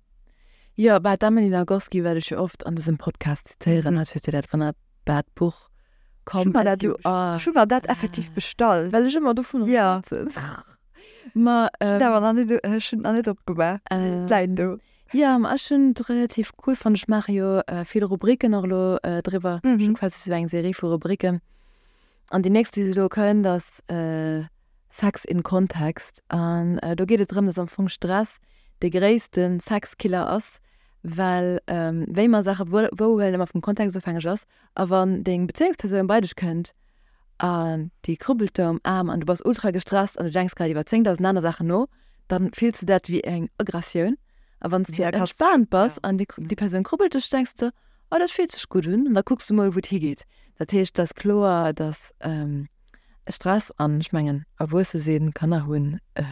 Ja, bei d'Emily Nagoski wat ech jo oft an dësem Podcast zitéieren, Mhm. hat huet si dat wonnerbart Buch Come Ech hu mer as dat you are. Ech hu mer dat effektiv bestallt. Well ech ëmmer dovun Ja. schwätzen. Ma, Ech hunn ähm, awer nach net, ech hunn nach net opgemaach. äh, Läit do. Ja, ma ech hunn et relativ cool fonnt. Ech maache jo äh, vill Rubriken och elo äh, driwwer. Mhm. Ech hunn quasi sou eng Serie vu Rubriken. An déi nächst, déi se elo kënnt, ass äh, Sex in Kontext. An äh, do geet et drëm, dass am Fong Stress de gréisste Sexkiller ass, well ähm, wéi mer Saache wouerhuelen ëmmer vum Kontext ofhängeg ass. A wann deng Bezéiungspersoun bei dech kënnt an déi krubbelt der um Aarm an du bass ultra gestresst an du denks grad iwwer zéngdausend aner Saachen no, dann fills du dat wéi eng Aggressioun. A wann s du Ja, kannst entspaant bass ja. an déi, déi Persoun krubbelt dech, denks du, oh, dat fillt sech gutt un, an da kucks du mol, wou et higeet. Dat heescht, dat ass kloer, dass ähm, Stress an, ech mengen, erwuesse sinn, Kanner hunn, äh,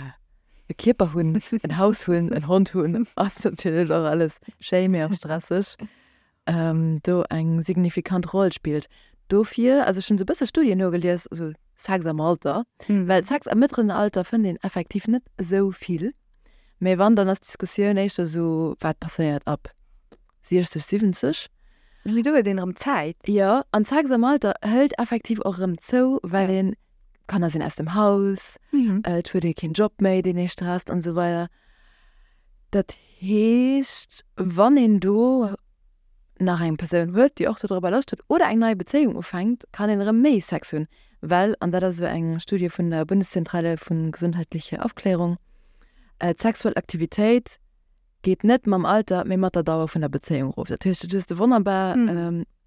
e Kierper hunn, en Haus hunn, en Hond hunn, ass natierlech och alles schéi, mee och stresseg, ähm, do eng signifikant Roll spillt. Dofir, also ech hunn sou e bësse Studien nogelies, also Sex am Alter, Mhm. well Sex am mëttleren Alter fënnt een effektiv net esou vill. Mee wann, dann ass d'Diskussioun éischter sou, wat passéiert ab siechzeg, siwwenzeg. Mee do huet een erëm Zäit. Jo, an Sex am Alter hëlt effektiv och erëm zou, well een, d'Kanner sinn aus dem Haus, et huet ee keen Job méi, deen ee stresst an esou weider. Dat heescht, wann een do nach eng Persoun huet, déi och dodrobber Loscht huet oder eng nei Bezéiung ufänkt, kann een erëm méi Sex hunn, well, an dat ass esou eng Studie vun der Bundeszentrale vun gesundheitliche Aufklärung, d'sexuell Aktivitéit geet net mam Alter, mee mat der Dauer vun der Bezéiung erof. Dat heescht, dat hues de wonnerbar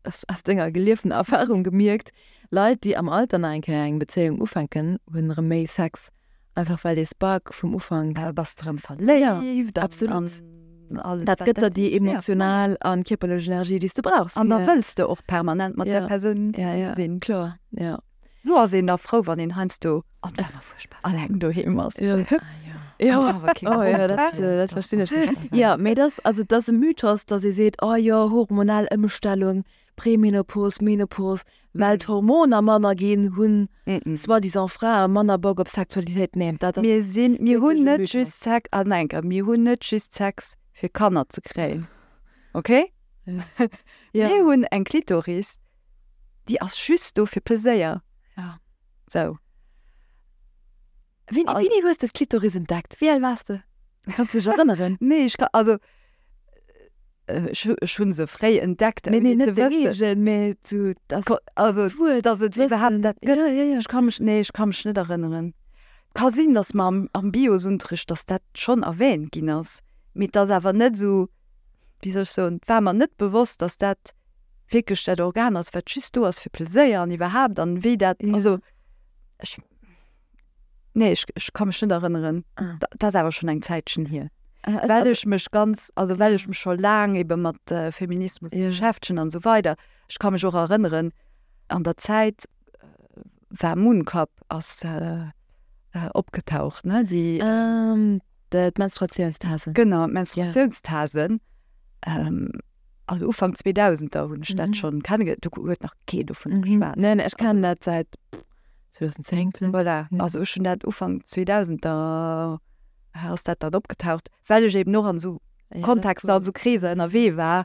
aus denger gelieften Erfahrung gemierkt, Leit, déi am Alter nach eng Kéier eng Bezéiung ufänken, hunn erëm méi Sex, einfach well dee Spark vum Ufank. Da bass de erëm verléift an Absolut. alles, Dat wat gëtt der dat déi heescht. Ja. emotional an kierperlech Energie, déi s de brauchs An da fir. wëlls de och permanent mat där Ja, Persoun ja, zesumme ja, sinn. kloer, ja. Lo ass een da frou, wann een heiansdo alleng doheem ass. Ja. Ja, oh, ja, dat, äh, dat verstinn ech. Ja, mee dat, also dat ass e Mythos, dass ee seet, oh jo, hormonell Ëmstellung, Premenopos, Menopos, well d'Hormoner manner ginn, hunn soi-disant Frae manner Bock op Sexualitéit. Nee, dat ass Mir sinn, mir hunn wierklech e net Mythos. just Sex, ah nein, mir hunn net just Sex fir Kanner ze kréien. Okay? Ja. Mir hunn eng Klitoris, déi ass just do fir Pleséier. Ja. Sou. Wéini, Al- wéini hues de d'Klitoris entdeckt? Wéi al waars de? Kanns du dech erënneren? Nee, ech kann, also ech, ech hunn se fréi entdeckt, Nee, nee, ouni ze net wëssen. d'Ereegen, mee zu, das Ko- Also, Wuert, dass et iwwerhaapt dat gëtt. Ja, ja, ja. Ech ka mech, nee, ech ka mech net erënneren. Ka sinn, dass mer am, am Biosunterricht, dass dat schonn erwähnt ginn ass. Mee dat ass awer net sou, wéi soll ech soen, et war mer net bewosst, dass dat wierklech dat Organ ass, wat just do ass fir Pleséier an iwwerhaapt an wéi dat, Ja. also ech, nee, ech, ech ka mech net erënneren. Ah. Da, dat ass awer schonn eng Zäitchen hier. Äh, ech, Well ech mech ganz, also well ech mech scho laang ebe mat äh, Feminismus Ja. beschäftegen an sou weider. Ech ka mech och erënneren, an der Zäit äh, war Mooncup ass äh, äh, opgetaucht, ne? Déi, ähm, d'Menstruatiounstasen. genau, d'Menstruatiounstasen. Ähm, also Ufank zweedausender hunn ech dat Mhm. schonn kennengeléiert. Do huet nach kee dovun Mhm. geschwat. Nee, nee, ech kennen dat säit zweedausendzéng vläicht. Voilà. Ja. Also ech hunn dat Ufank zweedausender ass dat dann opgetaucht, well ech eben och an sou Ja, dat Kontexter an cool. sou Kreeser ënnerwee war.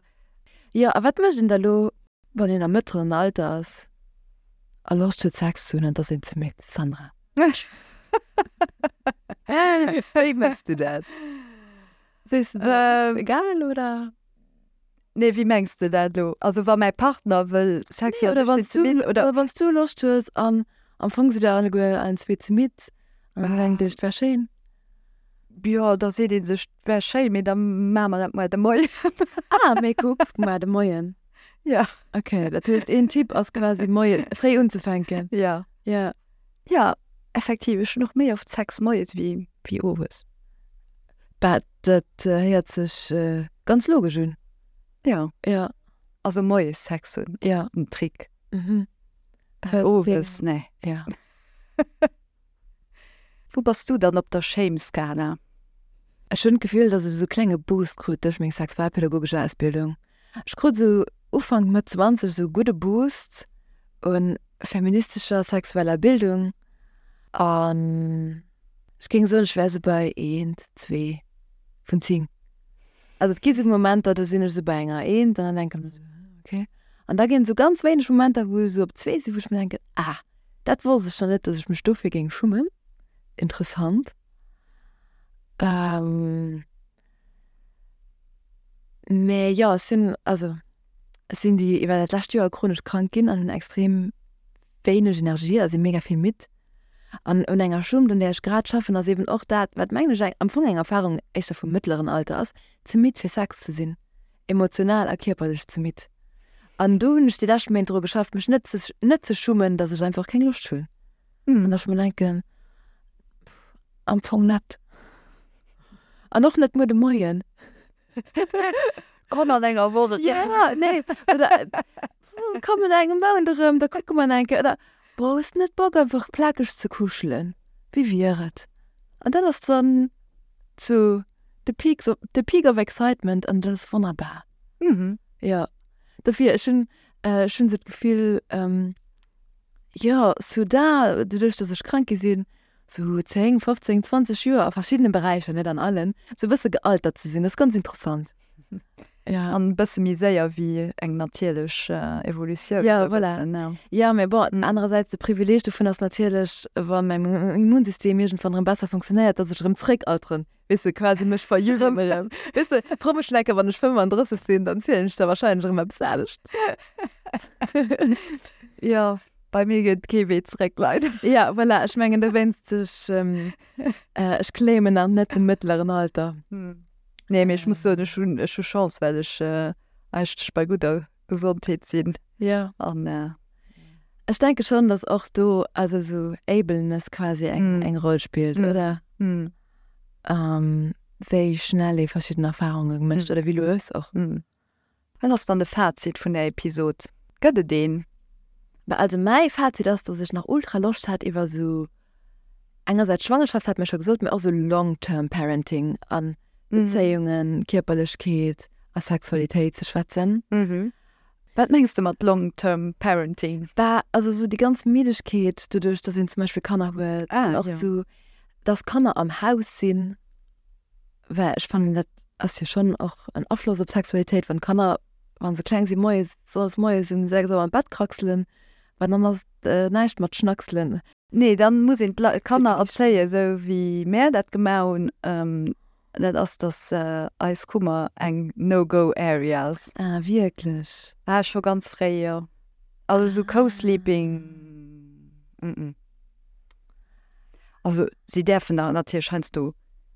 Ja, a wat mécht een da lo, wann een am mëttleren Alter ass a Loscht huet Sex ze hunn an et ass een ze midd, Sandra? Wéi méchs du dat? Sees du dat Ähm, egal oder? Nee, wéi mengs de dat lo? Also wa mäi Partner wëll Sex Nee, hunn, oder ech wann sinn ze du, midd, oder oder wann du Loscht hues an am Fong sidd der alleguer allen zwee ze midd an dann denkt Dir, et wär schéin. Jo, da seet ee sech, et wär schéin, mee da maache mer dat muer de Moien. Ah, mee kuck, muer de Moien. Ja. Okay, dat heescht een Tipp ass quasi moie fréi unzefänken. Ja. Ja. Ja, effektiv, ech hunn och méi oft Sex moies wéi, wéi owes. Bah, dat äh, héiert sech äh, ganz logesch un. Ja. Ja. Also moies Sex hunn ass Ja. en Trick. Mhm. Well owes, nee. Ja. Wou bass du dann op der Shame-Skala? Ech hunn d'Gefill, dass ech sou klenge Boost krut duerch meng sexualpädagogesch Ausbildung. Ech krut sou Ufank Mëtt zwanzeg sou gudde Boost un feministescher sexueller Bildung an ech géing soen, ech wär sou bei eent, zwee vun zéng. Also et gi sou Momenter, do sinn ech sou bei enger eent an dann denken ech sou, okay. An da ginn sou ganz wéineg Momenter, wou ech sou op zwee sinn, wou ech mir denken, ah, dat wosst ech nach net, dass ech mech dofir géing schummen. Interessant. Ähm, mee jo, ech sinn, also ech sinn déi iwwer dat lescht Joer chronesch krank ginn an hunn extrem wéineg Energie, also mega vill midd. An un enger Schummt, un där ech grad schaffen, ass eben och dat, wat mengen ech eng, am Fong eng Erfahrung éischter vum mëttleren Alter ass, ze midd fir Sex ze sinn. Emotional a kierperlech ze midd. An do hunn ech déi lescht Méint dru geschafft, mech net ze, net ze schummen, dass ech einfach keng Loscht hunn. An dass ech mir denken, pff, am Fong net. An och net muer de Moien. Komm an enger Woch. Ja, nee. Oder komm an engem Mount erëm, da kucke mer eng Kéier. Oder boah, hues net Bock einfach plakeg ze kuschelen? Wéi wier et? An dat ass dann zu the peaks of, the peak of excitement an dat ass wonnerbar. Mhm. Ja. Dofir, ech hunn, äh, ech hunn sou d'Gefill, ähm, jo, soudain, doduerch, dass ech krank gi sinn, sou zéng, fofzéng, zwanzeg Joer a verschiddene Beräicher, net an allen, sou e bësse gealtert ze sinn. Dat ass ganz interessant. Ja. An e bësse méi séier wéi eng natierlech Evolutioun. Ja, voilà. Ja, mee bon, anerersäits, de Privileeg dovun ass natierlech, wa mäin Immunsystem iergendwann erëm besser funktionéiert, dass ech erëm zréckalteren, weess de, quasi mech verjüngen erëm. Weess de, fro mech eng Kéier, wann ech fënnfandrësseg sinn, dann zielen ech der warscheinlech erëm eppes anescht. Ja, bei mir geet kee Wee zréck, leider. Ja, voilà, ech mengen dowéinst, ech, ech claimen nach net de mëttleren Alter. Nee, mee ech muss soen, ech hunn, ech hu Chance, well ech eigentlech bei gudder Gesondheet sinn. Ja. An. Ech denke schonn, dass och do, also esou Ableness quasi eng, eng Roll spillt, oder? Wéi schnell ee verschidden Erfarunge mécht oder wéi lues och. Wat ass dann de Fazit vun der Episod? Gëtt et een? Bah, also mäi Fazit ass, dass ech nach ultra Loscht hat iwwer esou engersäits Schwangerschaft, hat mir scho gesot, mee och esou long-term parenting an Bezéiungen, Kierperlechkeet a Sexualitéit ze schwätzen. Wat mengs de mat long-term parenting? Bah, also esou déi ganz Middegkeet doduerch, dass een zum Beispill Kanner huet an och esou, dass Kanner am Haus sinn, well ech fannen, dat ass jo schonn och en Afloss op d'Sexualitéit, wann d'Kanner, wa se kleng sinn, moies, sonndes moies um sechs Auer an d'Bett kraxelen, well dann ass et näischt mat Schnackselen. Nee, dann muss een d'Kanner erzéien, esou wéi mär dat gemaach hunn. Dat ass, dass eis Kummer eng No-Go Area ass. Ah, wierklech? Ah, scho ganz fréi, jo. Also esou Co-Sleeping, mm. Also si däerfen da natierlech heiansdo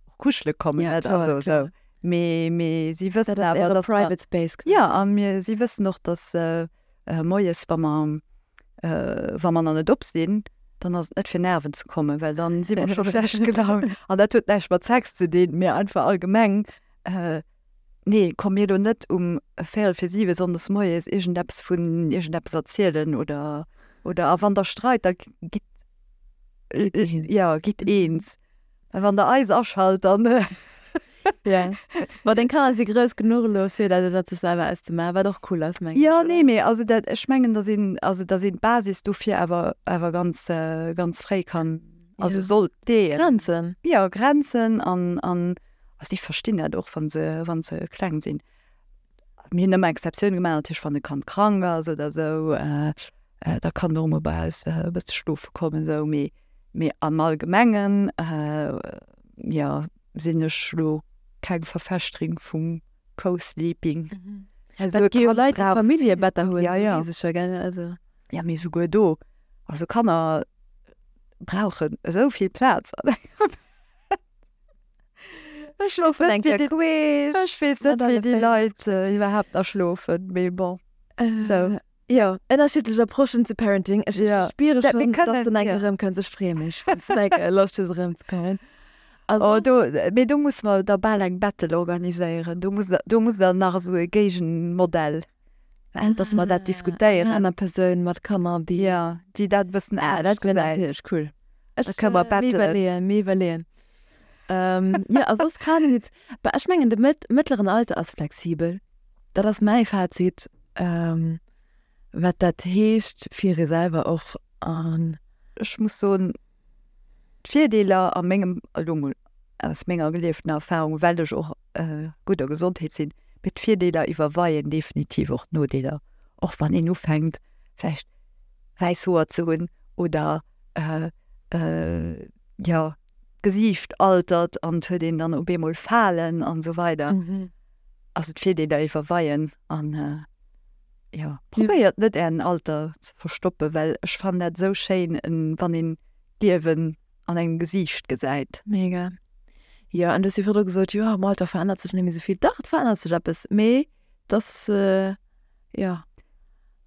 och kuschele kommen, Ja, net? kloer, Also kloer. esou. Mee, mee si wëssen Dat ass awer, äre dass mer, Private Space ja, quasi. a mir, si wëssen och, dass moies, wa mer, wa mer nach net op sinn, dann ass et net fir nerven ze kommen, well dann si mer scho schlecht gelaunt. An dat huet näischt mat Sex ze dinn, mee einfach allgemeng, nee, komm mir elo net um véierel fir siwe sonndes moies iergendeppes vun iergendeppes erzielen oder, oder a wann der streit, da gitt, jo, gitt eens. Mä wann der eis aschalt, dann. Ja. Ma deng Kanner si grouss genuch elo fir dat dat sech selwer auszemaachen, wat och cool ass, mengen Ja, ech, oder? nee, mee also dat, ech mengen, datt een, also datt een d'Basis dofir awer, awer ganz, ganz fréi kann, also Ja. sollt leeën. Grenzen. Ja, Grenzen an, an, also déi verstinn dat och, wa se, wa se kleng sinn. Mir hunn ëmmer Exceptioune gemaach, natierlech wann e Kand krank ass oder esou, da kann en och emol bei eis e bësse schlofe kommen esou, mee, mee am Allgemengen, jo, sinn ech lo keng Verfechterin vum Co-Sleeping. Also et gi jo Leit, déi Familljebetter hunn, Ja, ja. esou weess ech jo, gell, also. Ja, mee souguer do, also Kanner brauchen esou vill Plaz an engem Bett. Ech Schlofen eng weess Kéier net, wéi déi, queesch, ech weess mat net, wéi alle déi Féiss. Leit iwwerhaapt nach schlofen, mee bon. Sou. Jo, ënnerschiddlech Approchen zu Parenting. Ech Ja. spiere Dat, mir schonn, dass kënnen, du eng ja. Kéier erëmkënns. Ech freeë mech, wann s du eng Kéier Loscht hues erëmzekommen. Oh, Also, do, mee do musse mer da bal eng Battle organiséieren. Do muss, do muss dann nach esou e Géigenmodell, dass mer dat ah, eng diskutéieren. aner Persoun mat Kanner, déi. Ja, déi dat e bëssen Ah, dat anescht wär gesäit. natierlech cool. Da Ech kënne mer äh, mir battelen. iwwerleeën, mir iwwerleeën. Ähm, ja, a soss Fazit, bah, ech mengen, de mëtt, mëttleren Alter ass flexibel. Dat ass mäi Fazit, ähm, wat dat heescht fir ee selwer och an. Ech muss soen, d'Virdeeler a mengem, elo mol aus menger gelieftener Erfahrung, well ech och gudder Gesondheet sinn, mee d'Virdeeler iwwerweien definitiv och d'Nodeeler. Och wann een ufänkt vläicht wäiss Hoer ze hunn oder jo d'Gesiicht altert an et huet een dann op eemol Falen an esou weider. Also d'Virdeeler iwwerweien an jo, probéiert net ären Alter ze verstoppen, well ech fannen dat esou schéin, wann een d'Liewen an engem Gesiicht gesäit. Mega. Jo, an du hues jo virdru gesot, jo am Alter verännert sech net méi esou vill. Dach, et verännert sech eppes, mee dass, jo.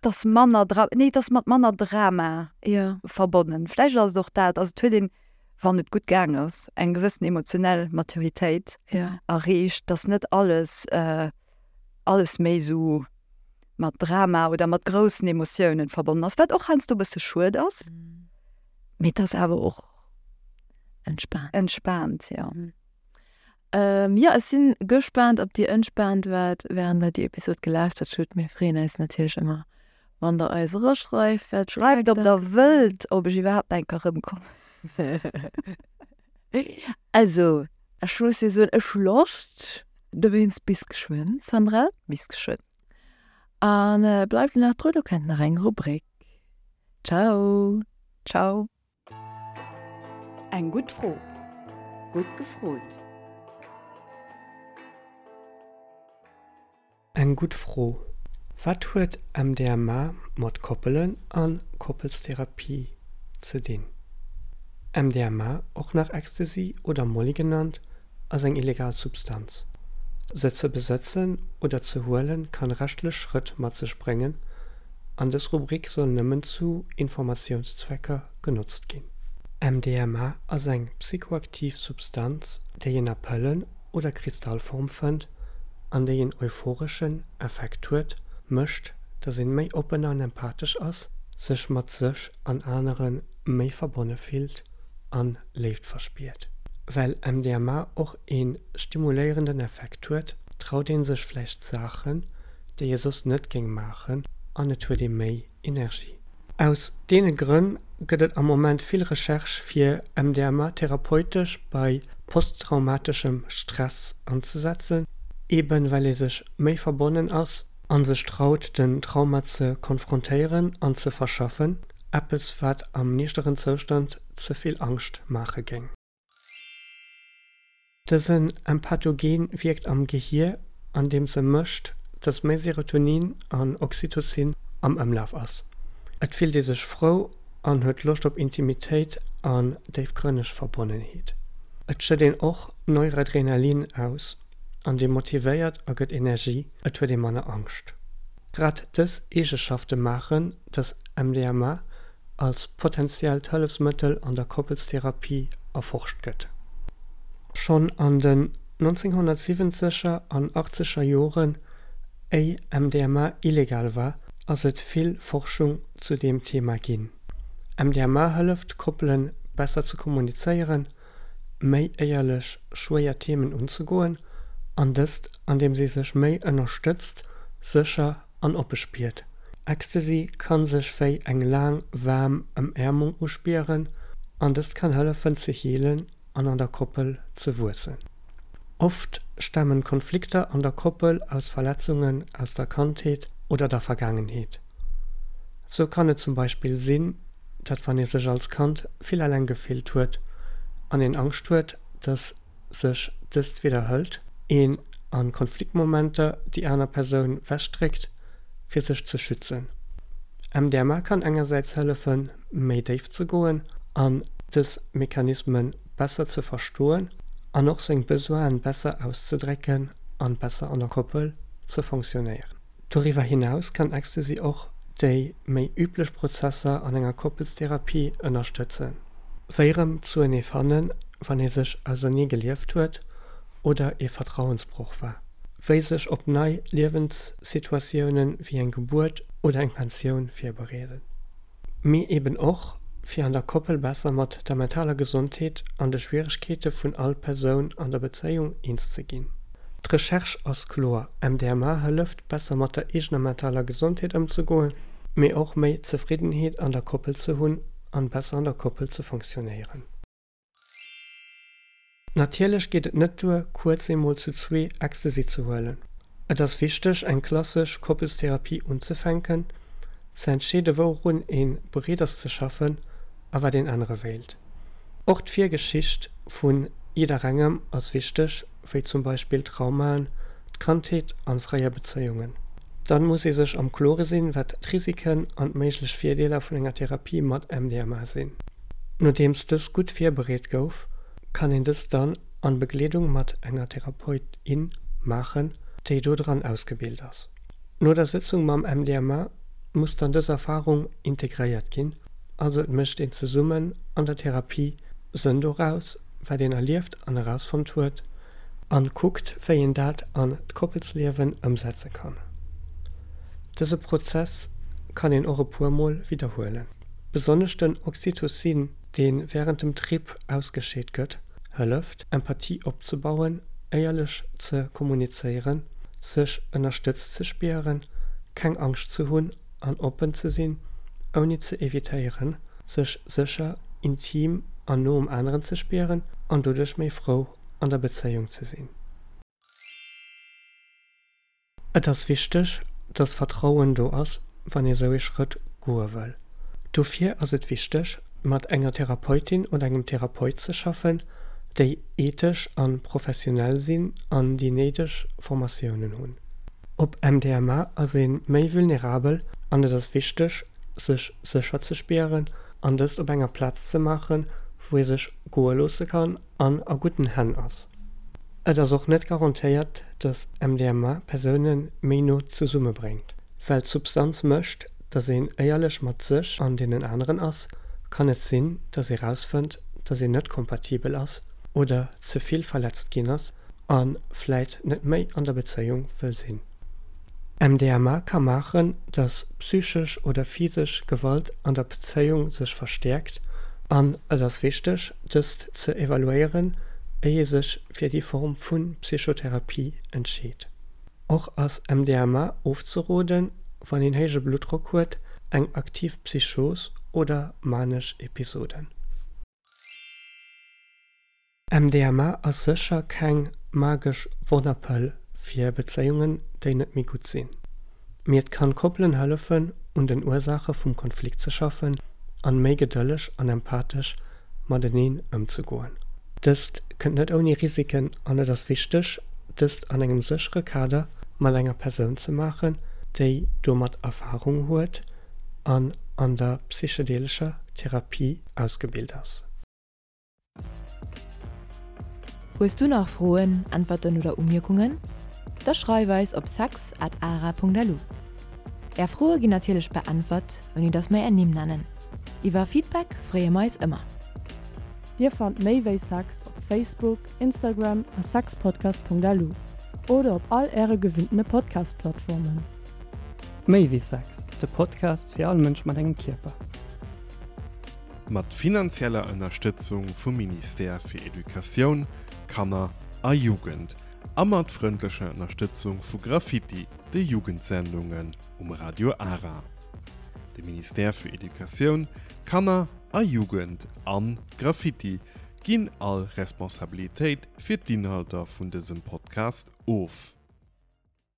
Dass manner Dra-, nee, et ass mat manner Drama Jo. verbonnen. Vläicht ass et och dat, also et huet een, wann et gutt gaang ass, eng gewëssen emotionell Maturitéit Ja. erreecht, dass net alles, alles méi esou mat Drama oder mat groussen Emotiounen verbonnen ass, wat och heiansdo e bësse schued ass, mee et ass awer och Entspaant. Entspaant, jo. Ähm, jo, ech sinn gespaant, ob dir entspaant waart, während der déi Episod gelauschtert hutt. Mir freeën eis natierlech ëmmer, wann der eis eraschreift, wat Schreift, ob der wëllt, ob ech iwwerhaapt eng Kéier erëmkommen. Also, ech muss jo soen, ech hu Loscht. Dowéinst bis geschwënn, Sandra. Bis geschwënn. An bleift nach dru, do kënnt nach eng Rubrik. Ciao. Ciao. Eng gutt Fro. Gutt gefrot. Eng gutt Fro, Wat huet MDMA mat Koppelen an Koppelstherapie ze dinn? MDMA, och nach Ecstasy oder Molly genannt, ass eng illegal Substanz. Se ze besëtzen oder ze huelen kann rechtlech Schrëtt mat sech bréngen an dës Rubrik soll nëmmen zu Informatiounszwecker genotzt ginn. MDMA ass eng psychoaktiv Substanz, déi een a Pëllen oder Kristallform fënnt an déi een euphoreschen Effekt huet, mécht, dass een méi oppen an empathesch ass, sech mat sech an anere méi verbonne fillt an Léift verspiert. Well MDMA och een stimuléierenden Effekt huet, traut een sech vläicht Saachen, déi ee soss net géing maachen an et huet ee méi Energie. Aus deene Grënn gëtt et am Moment vill Recherche fir MDMA therapeutesch bei posttraumateschem Stress anzesetzen, eben well ee sech méi verbonnen ass an sech traut den Trauma ze konfrontéieren an ze verschaffen, eppes wat am niichteren Zoustand ze vill Angscht maache géing. Dësen Empathogen wierkt am Gehier, andeems e mécht, dass méi Serotonin an Oxytocin am Ëmlaf ass. Et fillt ee sech frou an huet Loscht op Intimitéit an déifgrënneg Verbonnenheet. Et schëtt een och Neuradrenalin aus an dee motivéiert a gëtt Energie, et huet ee manner Angscht. Grad dës Eegeschafte maachen, dass MDMA als potentiellt Hëllefsmëttel an der Koppelstherapie erforscht gëtt. Schonn an den nonzénghonnertsiwwenzeger an achtzeger Joren, éi MDMA illegal war, ass et vill Forschung zu deem Thema ginn. MDMA hëlleft Koppele besser ze kommunizéieren, méi éierlech schwéier Themen unzegoen, an dëst andeems ee sech méi ënnerstëtzt, sécher an oppe spiert. Ecstasy kann sech wéi eng laang waarm Ëmäermung uspieren an dëst kann hëllefen ze heelen an an der Koppel ze wuessen. Oft stamen Konflikter an der Koppel aus Verletzungen aus der Kandheet oder der Vergaangenheet. Sou kann et zum Beispill sinn, datt wann ee sech als Kand vill eleng gefillt huet an een Angscht huet, datt sech dëst widderhëlt, een a Konfliktmomenter déi aner Persoun wechdréckt, fir sech ze schützen. MDMA kann engersäits hëllefen, méi déif ze goen an dës Mechanisme besser ze verstoen an och seng Besoinen besser auszedrécken an besser an der Koppel ze fonctionnéieren. Doriwwer hinaus kann Ecstasy och déi méi üblech Prozesser an enger Koppelstherapie ënnerstëtzen, wéi erëm zuenee fannen, wann ee sech ausernee gelieft huet oder ee Vertrauensbroch war, wéi sech op nei Liewenssituatiounen wéi eng Gebuert oder eng Pensioun virbereeden, mee eben och fir an der Koppel besser mat der mentaler Gesondheet an de Schwieregkeete vun all Persoun an der Bezéiung eens ze ginn. D'Recherche ass kloer, MDMA hëlleft, besser mat der eegener mentaler Gesondheet ëmzegoen, mee och méi Zefriddenheet an der Koppel ze hunn an besser an der Koppel ze fonctionnéieren. Natierlech geet et net duer, kuerz eemol zu zwee Ecstasy ze huelen. Et ass wichteg, eng klassesch Koppelstherapie unzefänken, ze entscheede wourun ee bereet ass ze schaffen a wat een ännere wéilt. Och d'Virgeschicht vu jidderengem ass wichteg, wéi zum Beispill Traumaen, d'Kandheet an fréier Bezéiungen. Dann muss ee sech am Klore sinn, wat d'Risiken an d'méiglech Virdeeler vun enger Therapie mat MDMA sinn. Nodeems dës gutt virbereet gouf, kann een dës dann an Begleedung mat enger Therapeut, in maachen, déi dodran ausgebilt ass. No der Sëtzung mam MDMA muss dann dës Erfarung integréiert ginn, also et mécht een zesummen an der Therapie Sënn doraus, wat een erlieft an erausfonnt huet, an kuckt, wéi een dat an d'Koppelsliewen ëmsetze kann. Dëse Prozess kann een och e puer Mol widderhuelen. Besonnesch den Oxytocin, dee wärend dem Trip ausgescheet gëtt, hëlleft, Empathie opzebauen, éierlech ze kommunizéieren, sech ënnerstëtzt ze spieren, keng Angscht ze hunn an oppen ze sinn, ouni ze evitéieren, sech sécher, intim an no um aneren ze spieren an doduerch méi frou an der Bezéiung ze sinn. Et ass wichteg, dass Vertrauen do ass, wann ee sou ee Schrëtt goe wëll. Dofir ass et wichteg, mat enger Therapeutin oder engem Therapeut ze schaffen, déi ethesch a professionell sinn an déi néideg Formatiounen hunn. Op M D M A ass ee méi vulnerabel an et ass wichteg, sech sécher ze spieren an dëst op enger Plaz ze maachen, wou ee sech goe loosse kann an a gudden Hänn ass. Et ass och net garantéiert, dass M D M A Persoune méi no zesummebréngt. Well d'Substanz mécht, dass een éierlech mat sech an deenen aneren ass, kann et sinn, dass ee rausfënnt, dass een net kompatibel ass oder ze vill verletzt ginn ass a vläit net méi an der Bezéiung wëll sinn. M D M A ka maachen, dass psychesch oder physesch Gewalt an der Bezéiung sech verstäerkt an et ass wichteg, dëst ze evaluéieren, éier ee sech fir déi Form vu Psychotherapie entscheet. Och ass M D M A ofzeroden, wann een héije Bluttdrock huet, eng aktiv Psychos oder manesch Episoden. M D M A ass sécher keng magesch Wonnerpëll fir Bezéiungen, déi net méi gutt sinn. Mee et kann Koppelen hëllefen, un den Ursaache vum Konflikt ze schaffen an méi gedëlleg an empathesch mateneen ëmzegoen. Dëst kënnt net ouni Risiken an et ass wichteg, dëst an engem séchere Kader mat enger Persoun ze maachen, déi domat Erfarung huet an an der psychedelescher Therapie ausgebilt ass. Hues du nach Froen, Äntwerten oder Umierkungen? Da schreif eis op sex at ara punkt lu. Är Froe ginn natierlech beäntwert, ouni datt mer är Nimm nennen. Iwwer Feedback freeë mer eis ëmmer. Dir fannt méi wéi Sex op Facebook, Instagram a sexpodcast punkt lu oder op all äre gewinntene Podcast-Plattformen. Méi wéi Sex, de Podcast fir all Mënsch mat engem Kierper. Mat finanzieller Ënnerstëtzung vum Ministère fir Educatioun, Kanner a Jugend a mat frëndlecher Ënnerstëtzung vu Graffiti, de Jugendsendungen um Radio Ara. De Ministère fir Educatioun, Kanner a Jugend an Graffiti ginn all Responsabilitéit fir d'Inhalter vun dësem Podcast of.